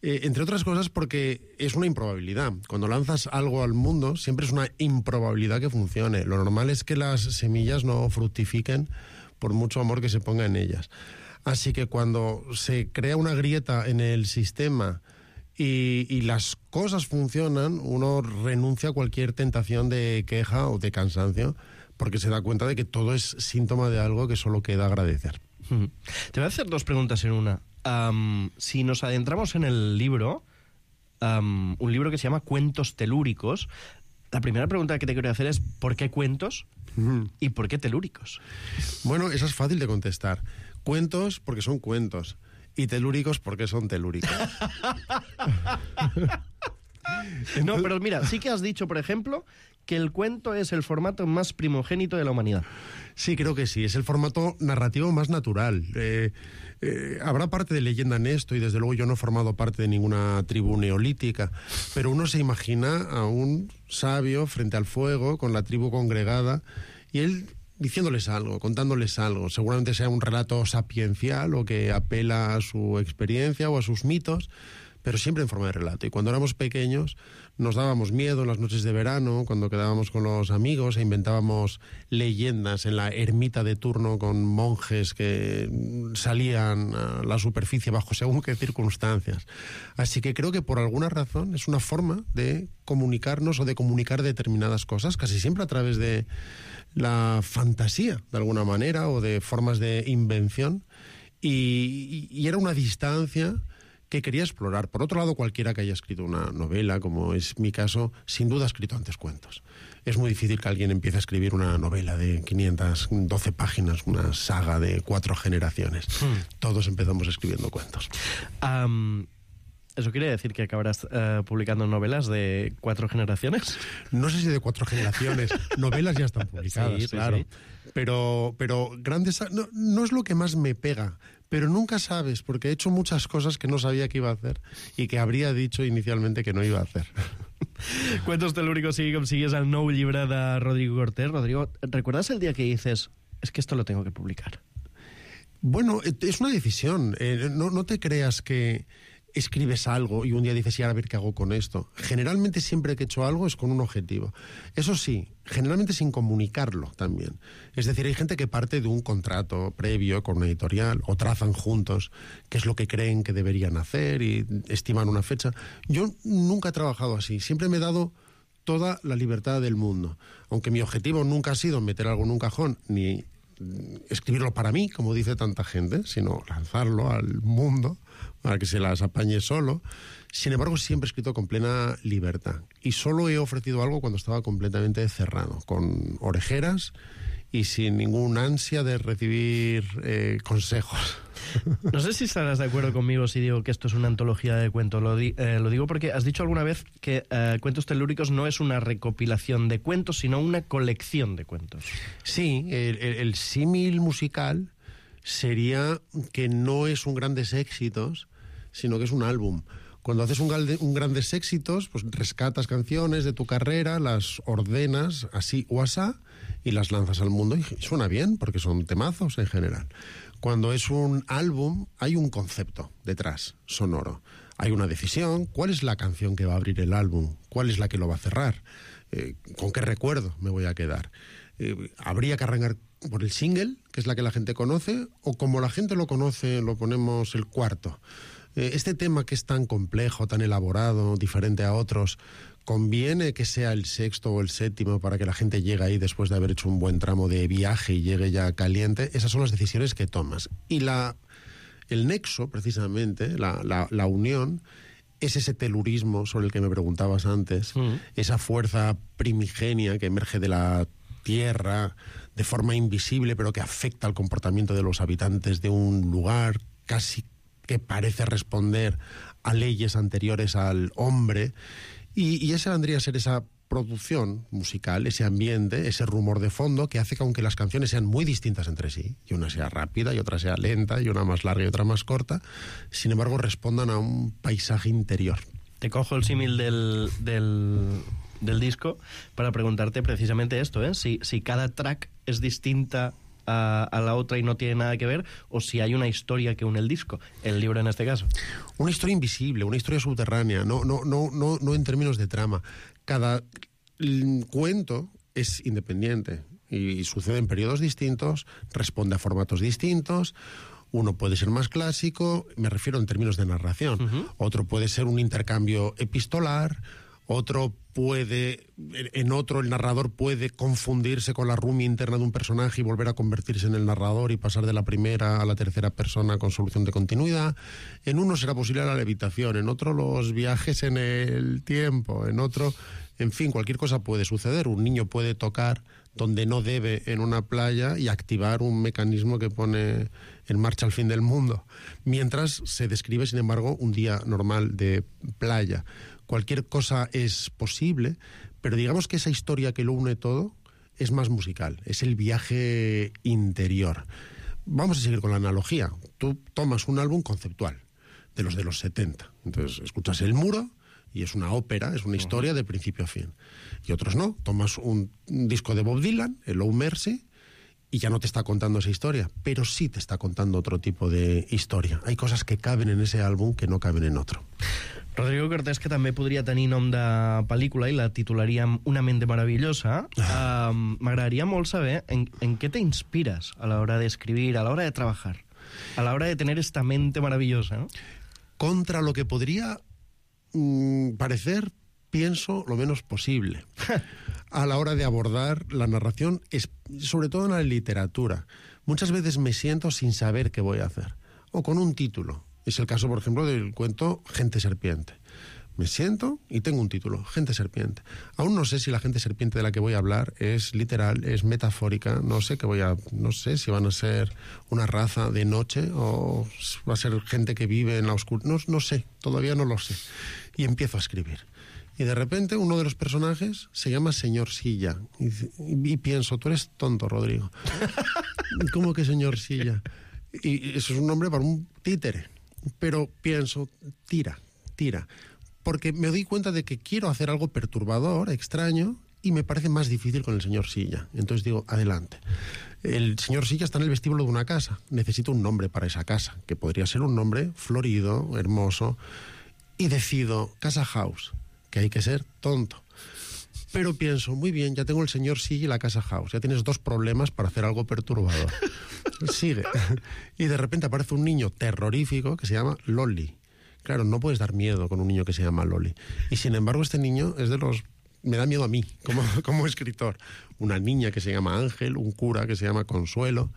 entre otras cosas porque es una improbabilidad. Cuando lanzas algo al mundo, siempre es una improbabilidad que funcione. Lo normal es que las semillas no fructifiquen por mucho amor que se ponga en ellas. Así que cuando se crea una grieta en el sistema y las cosas funcionan, uno renuncia a cualquier tentación de queja o de cansancio, porque se da cuenta de que todo es síntoma de algo que solo queda agradecer. Te voy a hacer dos preguntas en una. Si nos adentramos en el libro, un libro que se llama Cuentos Telúricos, la primera pregunta que te quiero hacer es ¿por qué cuentos y por qué telúricos? Bueno, esa es fácil de contestar. Cuentos porque son cuentos y telúricos porque son telúricos. No, pero mira, sí que has dicho, por ejemplo, que el cuento es el formato más primogénito de la humanidad. Sí, creo que sí, es el formato narrativo más natural. Habrá parte de leyenda en esto y desde luego yo no he formado parte de ninguna tribu neolítica, pero uno se imagina a un sabio frente al fuego con la tribu congregada y él diciéndoles algo, contándoles algo. Seguramente sea un relato sapiencial o que apela a su experiencia o a sus mitos, pero siempre en forma de relato. Y cuando éramos pequeños nos dábamos miedo en las noches de verano, cuando quedábamos con los amigos e inventábamos leyendas en la ermita de turno con monjes que salían a la superficie bajo según qué circunstancias. Así que creo que por alguna razón es una forma de comunicarnos o de comunicar determinadas cosas, casi siempre a través de la fantasía, de alguna manera, o de formas de invención. Y era una distancia que quería explorar. Por otro lado, cualquiera que haya escrito una novela, como es mi caso, sin duda ha escrito antes cuentos. Es muy difícil que alguien empiece a escribir una novela de 512 páginas, una saga de 4 generaciones. Todos empezamos escribiendo cuentos. ¿Eso quiere decir que acabarás publicando novelas de 4 generaciones? No sé si de 4 generaciones. Novelas ya están publicadas, claro. Sí. Pero grandes... No es lo que más me pega, pero nunca sabes, porque he hecho muchas cosas que no sabía que iba a hacer y que habría dicho inicialmente que no iba a hacer. Cuentos telúricos sigui com sigues el nou llibre de Rodrigo Cortés. Rodrigo, ¿recuerdas el día que dices, es que esto lo tengo que publicar? Bueno, es una decisión. No te creas que escribes algo y un día dices, y ahora a ver qué hago con esto. Generalmente siempre que he hecho algo es con un objetivo. Eso sí, generalmente sin comunicarlo también. Es decir, hay gente que parte de un contrato previo con una editorial o trazan juntos qué es lo que creen que deberían hacer y estiman una fecha. Yo nunca he trabajado así. Siempre me he dado toda la libertad del mundo. Aunque mi objetivo nunca ha sido meter algo en un cajón ni escribirlo para mí, como dice tanta gente, sino lanzarlo al mundo para que se las apañe solo. Sin embargo, siempre he escrito con plena libertad. Y solo he ofrecido algo cuando estaba completamente cerrado, con orejeras y sin ningún ansia de recibir consejos. No sé si estarás de acuerdo conmigo si digo que esto es una antología de cuentos. Lo digo porque has dicho alguna vez que Cuentos Telúricos no es una recopilación de cuentos, sino una colección de cuentos. Sí, el símil musical sería que no es un grandes éxitos, sino que es un álbum. Cuando haces un grandes éxitos, pues rescatas canciones de tu carrera, las ordenas así o asá y las lanzas al mundo y suena bien porque son temazos en general. Cuando es un álbum hay un concepto detrás, sonoro. Hay una decisión, ¿cuál es la canción que va a abrir el álbum? ¿Cuál es la que lo va a cerrar? ¿Con qué recuerdo me voy a quedar? ¿Habría que arrancar por el single, que es la que la gente conoce, o como la gente lo conoce, lo ponemos el cuarto? Este tema que es tan complejo, tan elaborado, diferente a otros, ¿conviene que sea el sexto o el séptimo para que la gente llegue ahí después de haber hecho un buen tramo de viaje y llegue ya caliente? Esas son las decisiones que tomas. Y el nexo, precisamente, la unión, es ese telurismo sobre el que me preguntabas antes, esa fuerza primigenia que emerge de la tierra de forma invisible, pero que afecta al comportamiento de los habitantes de un lugar, casi que parece responder a leyes anteriores al hombre, y esa vendría a ser esa producción musical, ese ambiente, ese rumor de fondo que hace que aunque las canciones sean muy distintas entre sí, y una sea rápida y otra sea lenta, y una más larga y otra más corta, sin embargo respondan a un paisaje interior. Te cojo el símil del disco para preguntarte precisamente esto, si cada track es distinta a la otra y no tiene nada que ver, o si hay una historia que une el disco, el libro en este caso. Una historia invisible, una historia subterránea, no en términos de trama. Cada cuento es independiente y sucede en periodos distintos, responde a formatos distintos. Uno puede ser más clásico, me refiero en términos de narración. Otro puede ser un intercambio epistolar. En otro el narrador puede confundirse con la rumia interna de un personaje y volver a convertirse en el narrador y pasar de la primera a la tercera persona con solución de continuidad. En uno será posible la levitación, en otro los viajes en el tiempo, en otro, en fin, cualquier cosa puede suceder. Un niño puede tocar donde no debe en una playa y activar un mecanismo que pone en marcha el fin del mundo, mientras se describe, sin embargo, un día normal de playa. Cualquier cosa es posible, pero digamos que esa historia que lo une todo es más musical, es el viaje interior. Vamos a seguir con la analogía. Tú tomas un álbum conceptual, de los 70. Entonces escuchas El Muro y es una ópera, es una historia de principio a fin. Y otros no. Tomas un disco de Bob Dylan, el Oh Mercy, y ya no te está contando esa historia, pero sí te está contando otro tipo de historia. Hay cosas que caben en ese álbum que no caben en otro. Rodrigo Cortés, que també podria tenir nom de pel·lícula i la titularíem Una mente maravillosa, m'agradaria molt saber en què te inspiras a la hora de escribir, a la hora de trabajar, a la hora de tener esta mente maravillosa, ¿no? Contra lo que podría parecer, pienso lo menos posible a la hora de abordar la narración, sobre todo en la literatura. Muchas veces me siento sin saber qué voy a hacer, o con un título. Es el caso, por ejemplo, del cuento Gente Serpiente. Me siento y tengo un título, Gente Serpiente. Aún no sé si la gente serpiente de la que voy a hablar es literal, es metafórica. No sé si van a ser una raza de noche o va a ser gente que vive en la oscuridad. No sé, todavía no lo sé. Y empiezo a escribir. Y de repente uno de los personajes se llama Señor Silla. Y pienso, tú eres tonto, Rodrigo. ¿Cómo que Señor Silla? Y eso es un nombre para un títere. Pero pienso, tira. Porque me doy cuenta de que quiero hacer algo perturbador, extraño, y me parece más difícil con el señor Silla. Entonces digo, adelante. El señor Silla está en el vestíbulo de una casa. Necesito un nombre para esa casa, que podría ser un nombre florido, hermoso. Y decido, Casa House, que hay que ser tonto. Pero pienso, muy bien, ya tengo el señor Silla y la Casa House. Ya tienes 2 problemas para hacer algo perturbador. Sigue. Y de repente aparece un niño terrorífico que se llama Loli. Claro, no puedes dar miedo con un niño que se llama Loli. Y sin embargo, este niño es de los... Me da miedo a mí, como escritor. Una niña que se llama Ángel, un cura que se llama Consuelo.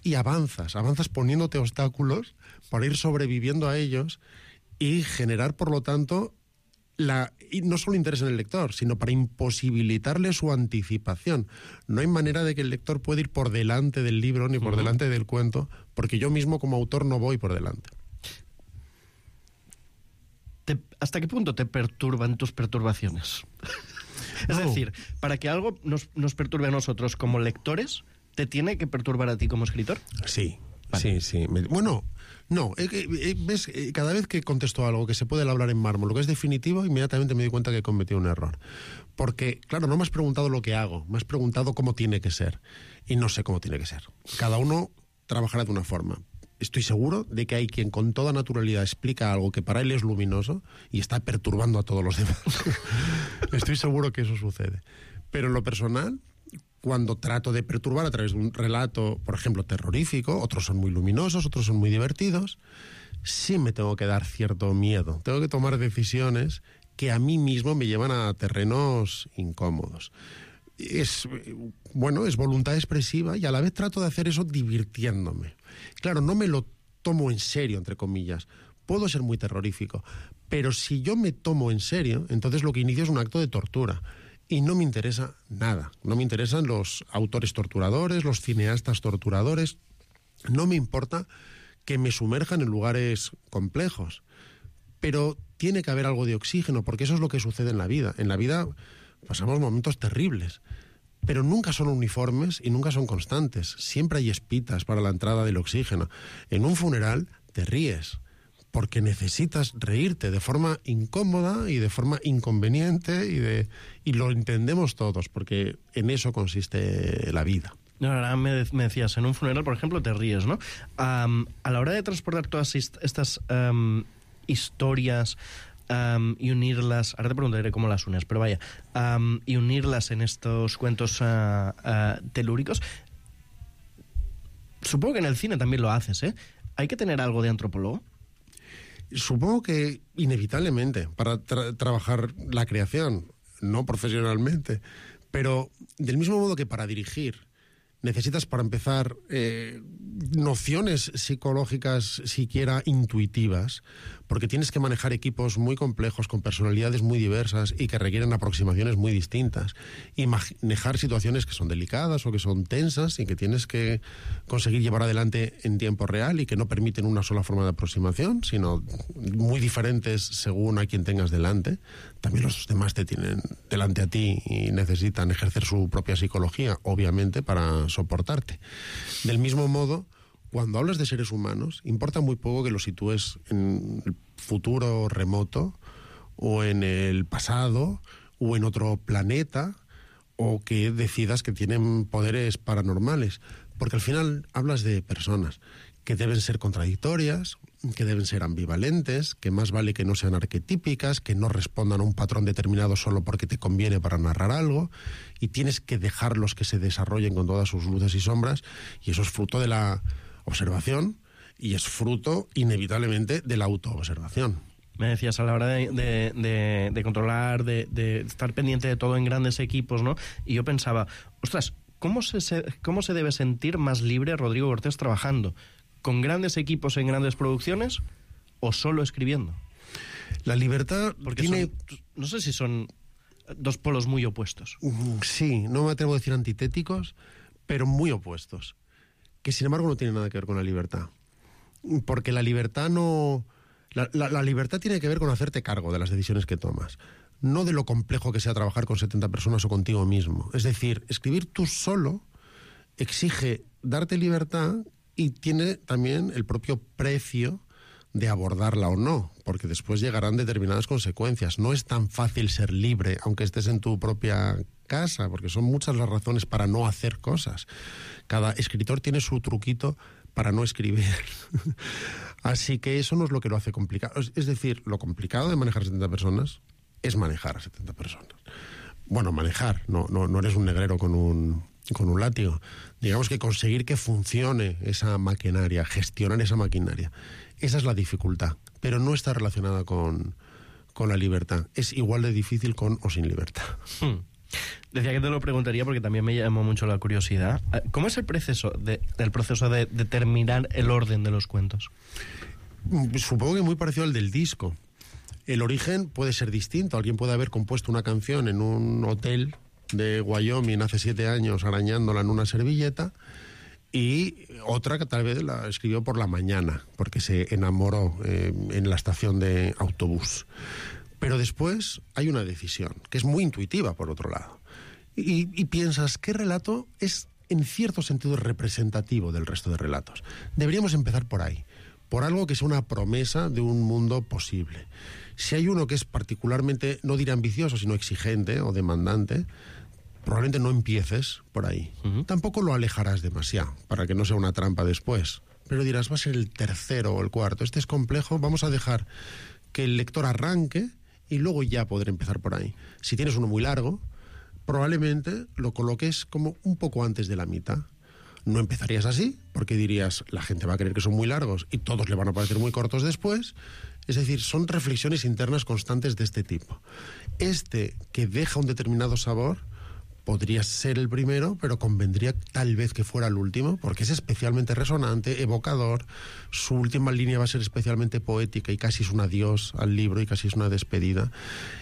Y avanzas poniéndote obstáculos para ir sobreviviendo a ellos y generar, por lo tanto, y no solo interés en el lector, sino para imposibilitarle su anticipación. No hay manera de que el lector pueda ir por delante del libro ni por delante del cuento, porque yo mismo como autor no voy por delante. ¿Hasta qué punto te perturban tus perturbaciones? Es decir, para que algo nos perturbe a nosotros como lectores, ¿te tiene que perturbar a ti como escritor? Sí, vale. Sí. Bueno, no, ves, cada vez que contesto algo que se puede labrar en mármol, lo que es definitivo, inmediatamente me doy cuenta que he cometido un error. Porque, claro, no me has preguntado lo que hago, me has preguntado cómo tiene que ser. Y no sé cómo tiene que ser. Cada uno trabajará de una forma. Estoy seguro de que hay quien con toda naturalidad explica algo que para él es luminoso y está perturbando a todos los demás. Estoy seguro que eso sucede. Pero en lo personal, cuando trato de perturbar a través de un relato, por ejemplo, terrorífico, otros son muy luminosos, otros son muy divertidos, sí me tengo que dar cierto miedo. Tengo que tomar decisiones que a mí mismo me llevan a terrenos incómodos. Es voluntad expresiva y a la vez trato de hacer eso divirtiéndome. Claro, no me lo tomo en serio, entre comillas. Puedo ser muy terrorífico, pero si yo me tomo en serio, entonces lo que inicio es un acto de tortura. Y no me interesa nada. No me interesan los autores torturadores, los cineastas torturadores. No me importa que me sumerjan en lugares complejos. Pero tiene que haber algo de oxígeno, porque eso es lo que sucede en la vida. En la vida pasamos momentos terribles, pero nunca son uniformes y nunca son constantes. Siempre hay espitas para la entrada del oxígeno. En un funeral te ríes, porque necesitas reírte de forma incómoda y de forma inconveniente y lo entendemos todos, porque en eso consiste la vida. Ahora me decías, en un funeral, por ejemplo, te ríes, ¿no? A la hora de transportar todas estas historias y unirlas, ahora te preguntaré cómo las unes, pero vaya, y unirlas en estos cuentos telúricos, supongo que en el cine también lo haces, ¿eh? ¿Hay que tener algo de antropólogo? Supongo que inevitablemente para trabajar la creación, no profesionalmente, pero del mismo modo que para dirigir necesitas para empezar nociones psicológicas siquiera intuitivas, porque tienes que manejar equipos muy complejos, con personalidades muy diversas y que requieren aproximaciones muy distintas, y manejar situaciones que son delicadas o que son tensas y que tienes que conseguir llevar adelante en tiempo real y que no permiten una sola forma de aproximación, sino muy diferentes según a quien tengas delante. También los demás te tienen delante a ti y necesitan ejercer su propia psicología, obviamente, para soportarte. Del mismo modo, cuando hablas de seres humanos, importa muy poco que los sitúes en el futuro remoto o en el pasado o en otro planeta, o que decidas que tienen poderes paranormales, porque al final hablas de personas que deben ser contradictorias, que deben ser ambivalentes, que más vale que no sean arquetípicas, que no respondan a un patrón determinado solo porque te conviene para narrar algo, y tienes que dejarlos que se desarrollen con todas sus luces y sombras, y eso es fruto de la observación y es fruto inevitablemente de la autoobservación. Me decías, a la hora de controlar, de estar pendiente de todo en grandes equipos, ¿no? Y yo pensaba, ostras, ¿cómo se debe sentir más libre Rodrigo Cortés trabajando? ¿Con grandes equipos en grandes producciones o solo escribiendo? La libertad porque no sé si son dos polos muy opuestos. Sí, no me atrevo a decir antitéticos, pero muy opuestos, que sin embargo no tienen nada que ver con la libertad. Porque la libertad no... La libertad tiene que ver con hacerte cargo de las decisiones que tomas, no de lo complejo que sea trabajar con 70 personas o contigo mismo. Es decir, escribir tú solo exige darte libertad y tiene también el propio precio de abordarla o no, porque después llegarán determinadas consecuencias. No es tan fácil ser libre, aunque estés en tu propia casa, porque son muchas las razones para no hacer cosas. Cada escritor tiene su truquito para no escribir. Así que eso no es lo que lo hace complicado. Es decir, lo complicado de manejar 70 personas es manejar a 70 personas. Bueno, manejar, no eres un negrero con un látigo. Digamos que conseguir que funcione esa maquinaria, gestionar esa maquinaria, esa es la dificultad, pero no está relacionada con la libertad. Es igual de difícil con o sin libertad. Decía que te lo preguntaría porque también me llamó mucho la curiosidad. ¿Cómo es el proceso de determinar el orden de los cuentos? Supongo que muy parecido al del disco. El origen puede ser distinto. Alguien puede haber compuesto una canción en un hotel de Wyoming hace 7 años arañándola en una servilleta, y otra que tal vez la escribió por la mañana porque se enamoró en la estación de autobús. Pero después hay una decisión que es muy intuitiva, por otro lado, y piensas, ¿qué relato es en cierto sentido representativo del resto de relatos? Deberíamos empezar por ahí, por algo que es una promesa de un mundo posible. Si hay uno que es particularmente, no diré ambicioso, sino exigente o demandante, probablemente no empieces por ahí. Tampoco lo alejarás demasiado, para que no sea una trampa después. Pero dirás, va a ser el tercero o el cuarto. Este es complejo, vamos a dejar que el lector arranque y luego ya podré empezar por ahí. Si tienes uno muy largo, probablemente lo coloques como un poco antes de la mitad. No empezarías así, porque dirías, la gente va a creer que son muy largos y todos le van a parecer muy cortos después. Es decir, son reflexiones internas constantes de este tipo. Este que deja un determinado sabor podría ser el primero, pero convendría tal vez que fuera el último, porque es especialmente resonante, evocador. Su última línea va a ser especialmente poética y casi es un adiós al libro y casi es una despedida.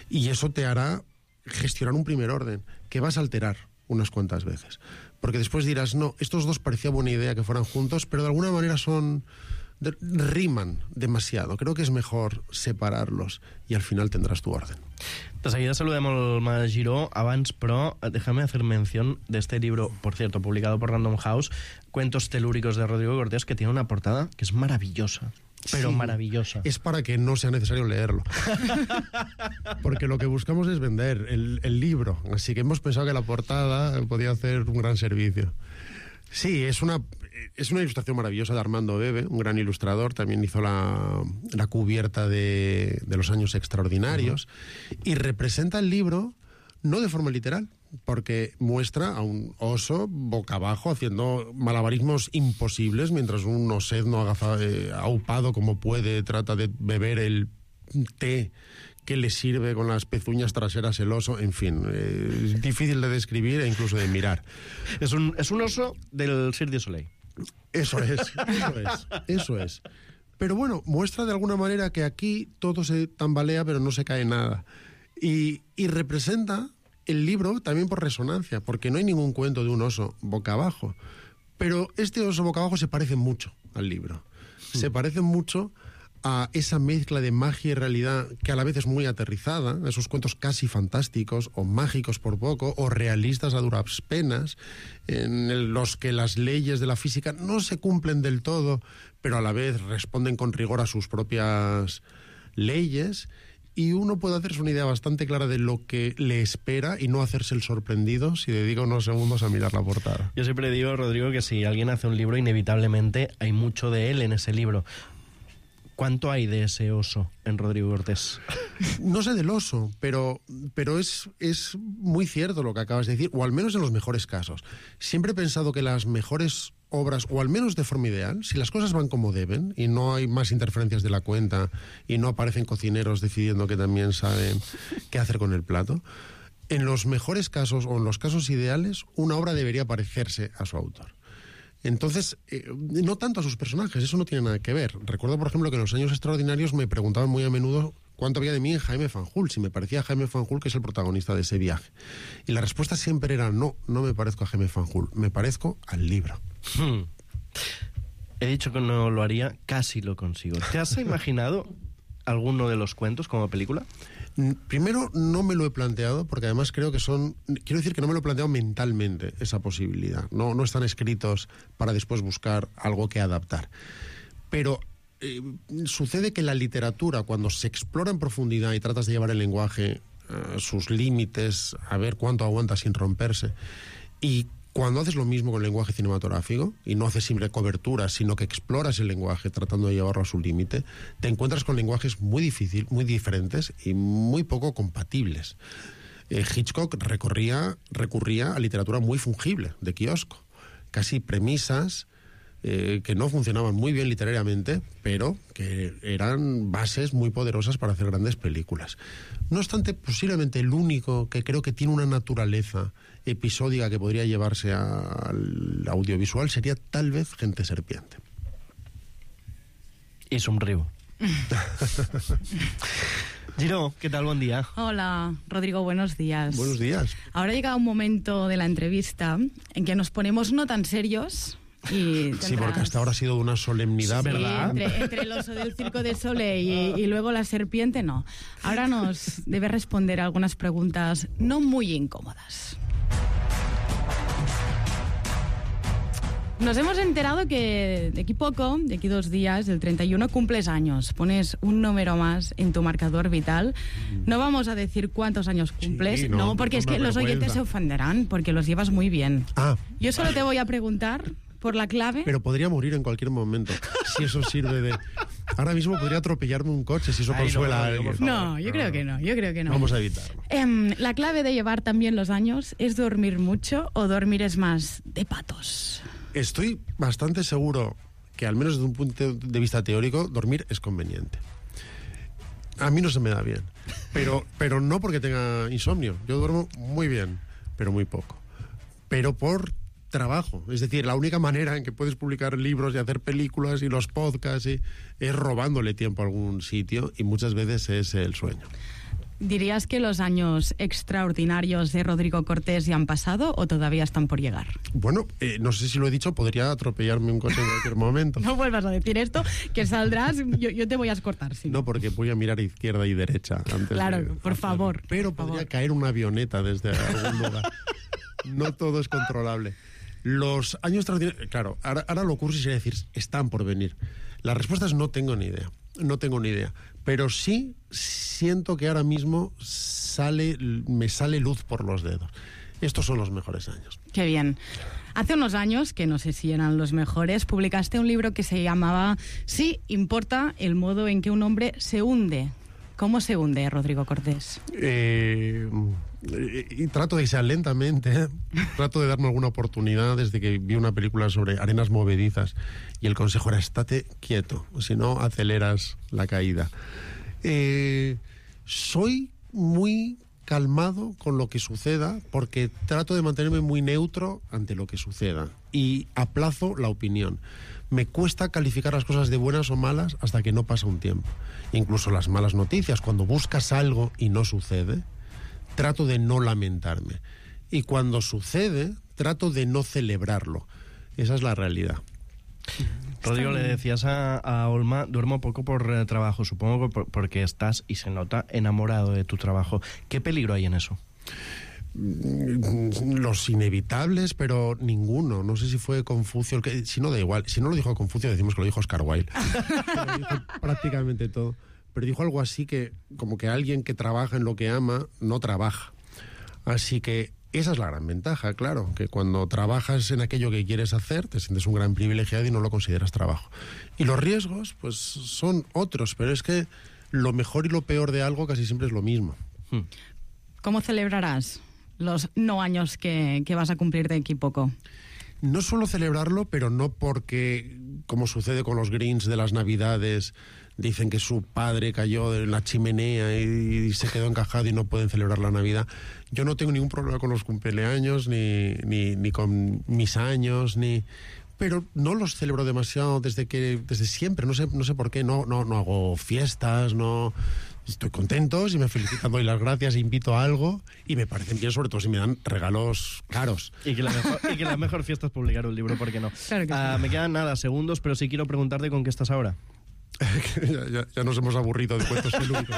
Y eso te hará gestionar un primer orden que vas a alterar unas cuantas veces. Porque después dirás, no, estos dos parecía buena idea que fueran juntos, pero de alguna manera riman demasiado. Creo que es mejor separarlos y al final tendrás tu orden. De seguida saludem al Mas Giró. Abans, però, déjame hacer mención de este libro, por cierto, publicado por Random House, Cuentos telúricos de Rodrigo Cortés, que tiene una portada que es maravillosa. Pero sí, maravillosa. Es para que no sea necesario leerlo. Porque lo que buscamos es vender el libro. Así que hemos pensado que la portada podía hacer un gran servicio. Sí, es una ilustración maravillosa de Armando Bebe, un gran ilustrador. También hizo la cubierta de Los Años Extraordinarios. Y representa el libro no de forma literal, porque muestra a un oso boca abajo haciendo malabarismos imposibles mientras un osedno aupado como puede trata de beber el té que le sirve con las pezuñas traseras el oso. En fin, es difícil de describir e incluso de mirar. Es un oso del Cirque du Soleil. Eso es. Pero bueno, muestra de alguna manera que aquí todo se tambalea pero no se cae nada. Y representa el libro también por resonancia, porque no hay ningún cuento de un oso boca abajo. Pero este oso boca abajo se parece mucho al libro. Se parece mucho a esa mezcla de magia y realidad que a la vez es muy aterrizada, a esos cuentos casi fantásticos o mágicos por poco, o realistas a duras penas, en los que las leyes de la física no se cumplen del todo, pero a la vez responden con rigor a sus propias leyes. Y uno puede hacerse una idea bastante clara de lo que le espera y no hacerse el sorprendido si dedica unos segundos a mirar la portada. Yo siempre digo, Rodrigo, que si alguien hace un libro, inevitablemente hay mucho de él en ese libro. ¿Cuánto hay de ese oso en Rodrigo Cortés? No sé del oso, pero es muy cierto lo que acabas de decir, o al menos en los mejores casos. Siempre he pensado que las mejores obras, o al menos de forma ideal, si las cosas van como deben y no hay más interferencias de la cuenta y no aparecen cocineros decidiendo que también saben qué hacer con el plato, en los mejores casos o en los casos ideales, una obra debería parecerse a su autor. Entonces, no tanto a sus personajes, eso no tiene nada que ver. Recuerdo, por ejemplo, que en Los Años Extraordinarios me preguntaban muy a menudo cuánto había de mí en Jaime Fanjul, si me parecía a Jaime Fanjul, que es el protagonista de ese viaje. Y la respuesta siempre era no me parezco a Jaime Fanjul, me parezco al libro. He dicho que no lo haría, casi lo consigo. ¿Te has imaginado alguno de los cuentos como película? Primero, no me lo he planteado, porque además creo que quiero decir que no me lo he planteado mentalmente, esa posibilidad. No están escritos para después buscar algo que adaptar. Pero sucede que la literatura, cuando se explora en profundidad y tratas de llevar el lenguaje a sus límites, a ver cuánto aguanta sin romperse, y cuando haces lo mismo con el lenguaje cinematográfico, y no haces siempre coberturas, sino que exploras el lenguaje tratando de llevarlo a su límite, te encuentras con lenguajes muy diferentes y muy poco compatibles. Hitchcock recurría a literatura muy fungible, de kiosco, casi premisas que no funcionaban muy bien literariamente, pero que eran bases muy poderosas para hacer grandes películas. No obstante, posiblemente el único que creo que tiene una naturaleza episódica que podría llevarse al audiovisual sería tal vez Gente Serpiente. Y somriu. Giro, ¿qué tal? Buen día. Hola, Rodrigo, buenos días. Buenos días. Ahora ha llegado un momento de la entrevista en que nos ponemos no tan serios. Y sí, porque hasta ahora ha sido de una solemnidad, sí, ¿verdad? Entre el oso del Circo de Soleil y luego la serpiente, no. Ahora nos debe responder algunas preguntas no muy incómodas. Nos hemos enterado que de aquí poco, de aquí 2 días, el 31, cumples años. Pones un número más en tu marcador vital. No vamos a decir cuántos años cumples, sí, no, porque es que los oyentes se ofenderán, porque los llevas muy bien. Yo solo te voy a preguntar por la clave. Pero podría morir en cualquier momento, si eso sirve de... Ahora mismo podría atropellarme un coche, si eso consuela a alguien. No, yo creo que no. Vamos a evitarlo. La clave de llevar también los años es dormir mucho o dormir es más de patos. Estoy bastante seguro que, al menos desde un punto de vista teórico, dormir es conveniente. A mí no se me da bien, pero no porque tenga insomnio. Yo duermo muy bien, pero muy poco. Pero por trabajo. Es decir, la única manera en que puedes publicar libros y hacer películas y los podcasts es robándole tiempo a algún sitio, y muchas veces es el sueño. ¿Dirías que los años extraordinarios de Rodrigo Cortés ya han pasado o todavía están por llegar? Bueno, no sé si lo he dicho, podría atropellarme un coche en cualquier momento. No vuelvas a decir esto, que saldrás, yo te voy a escortar. Si no, porque voy a mirar izquierda y derecha antes. Claro, por favor. Pero podría caer una avioneta desde algún lugar. No todo es controlable. Los años extraordinarios... Claro, ahora lo cursi sería decir, están por venir. La respuesta es no tengo ni idea. No tengo ni idea. Pero sí siento que ahora mismo me sale luz por los dedos. Estos son los mejores años. Qué bien. Hace unos años, que no sé si eran los mejores, publicaste un libro que se llamaba Sí, importa el modo en que un hombre se hunde. ¿Cómo se hunde, Rodrigo Cortés? Y trato de que sea lentamente, trato de darme alguna oportunidad desde que vi una película sobre arenas movedizas y el consejo era estate quieto, si no aceleras la caída. Soy muy calmado con lo que suceda porque trato de mantenerme muy neutro ante lo que suceda y aplazo la opinión. Me cuesta calificar las cosas de buenas o malas hasta que no pasa un tiempo. Incluso las malas noticias, cuando buscas algo y no sucede, trato de no lamentarme. Y cuando sucede, trato de no celebrarlo. Esa es la realidad. Rodrigo, le decías a Olma, duermo poco por trabajo, supongo porque estás, y se nota, enamorado de tu trabajo. ¿Qué peligro hay en eso? Los inevitables, pero ninguno. No sé si fue Confucio el que... Si no, da igual. Si no lo dijo Confucio, decimos que lo dijo Oscar Wilde. Lo dijo prácticamente todo. Pero dijo algo así que, como que alguien que trabaja en lo que ama, no trabaja. Así que esa es la gran ventaja, claro, que cuando trabajas en aquello que quieres hacer, te sientes un gran privilegiado y no lo consideras trabajo. Y los riesgos, pues, son otros, pero es que lo mejor y lo peor de algo casi siempre es lo mismo. ¿Cómo celebrarás los no años que vas a cumplir de aquí poco? No suelo celebrarlo, pero no porque, como sucede con los Greens de las Navidades, dicen que su padre cayó en la chimenea y se quedó encajado y no pueden celebrar la Navidad. Yo no tengo ningún problema con los cumpleaños, ni con mis años, pero no los celebro demasiado desde siempre. No sé por qué. No hago fiestas, no Estoy contentos y me felicitan, doy las gracias, invito a algo y me parecen bien, sobre todo si me dan regalos caros. Y que la mejor fiesta es publicar un libro, ¿por qué no? Claro que sí. Me quedan segundos, pero sí quiero preguntarte con qué estás ahora. ya nos hemos aburrido de cuentos filúmicos.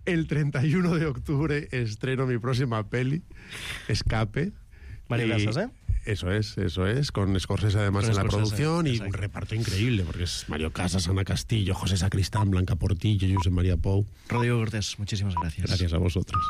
El 31 de octubre estreno mi próxima peli, Escape. Mario Casas, ¿eh? Eso es, con Scorsese además en la producción y exacto. un reparto increíble, porque es Mario Casas, Ana Castillo, José Sacristán, Blanca Portillo, Josep María Pou. Rodrigo Cortés, muchísimas gracias. Gracias a vosotros.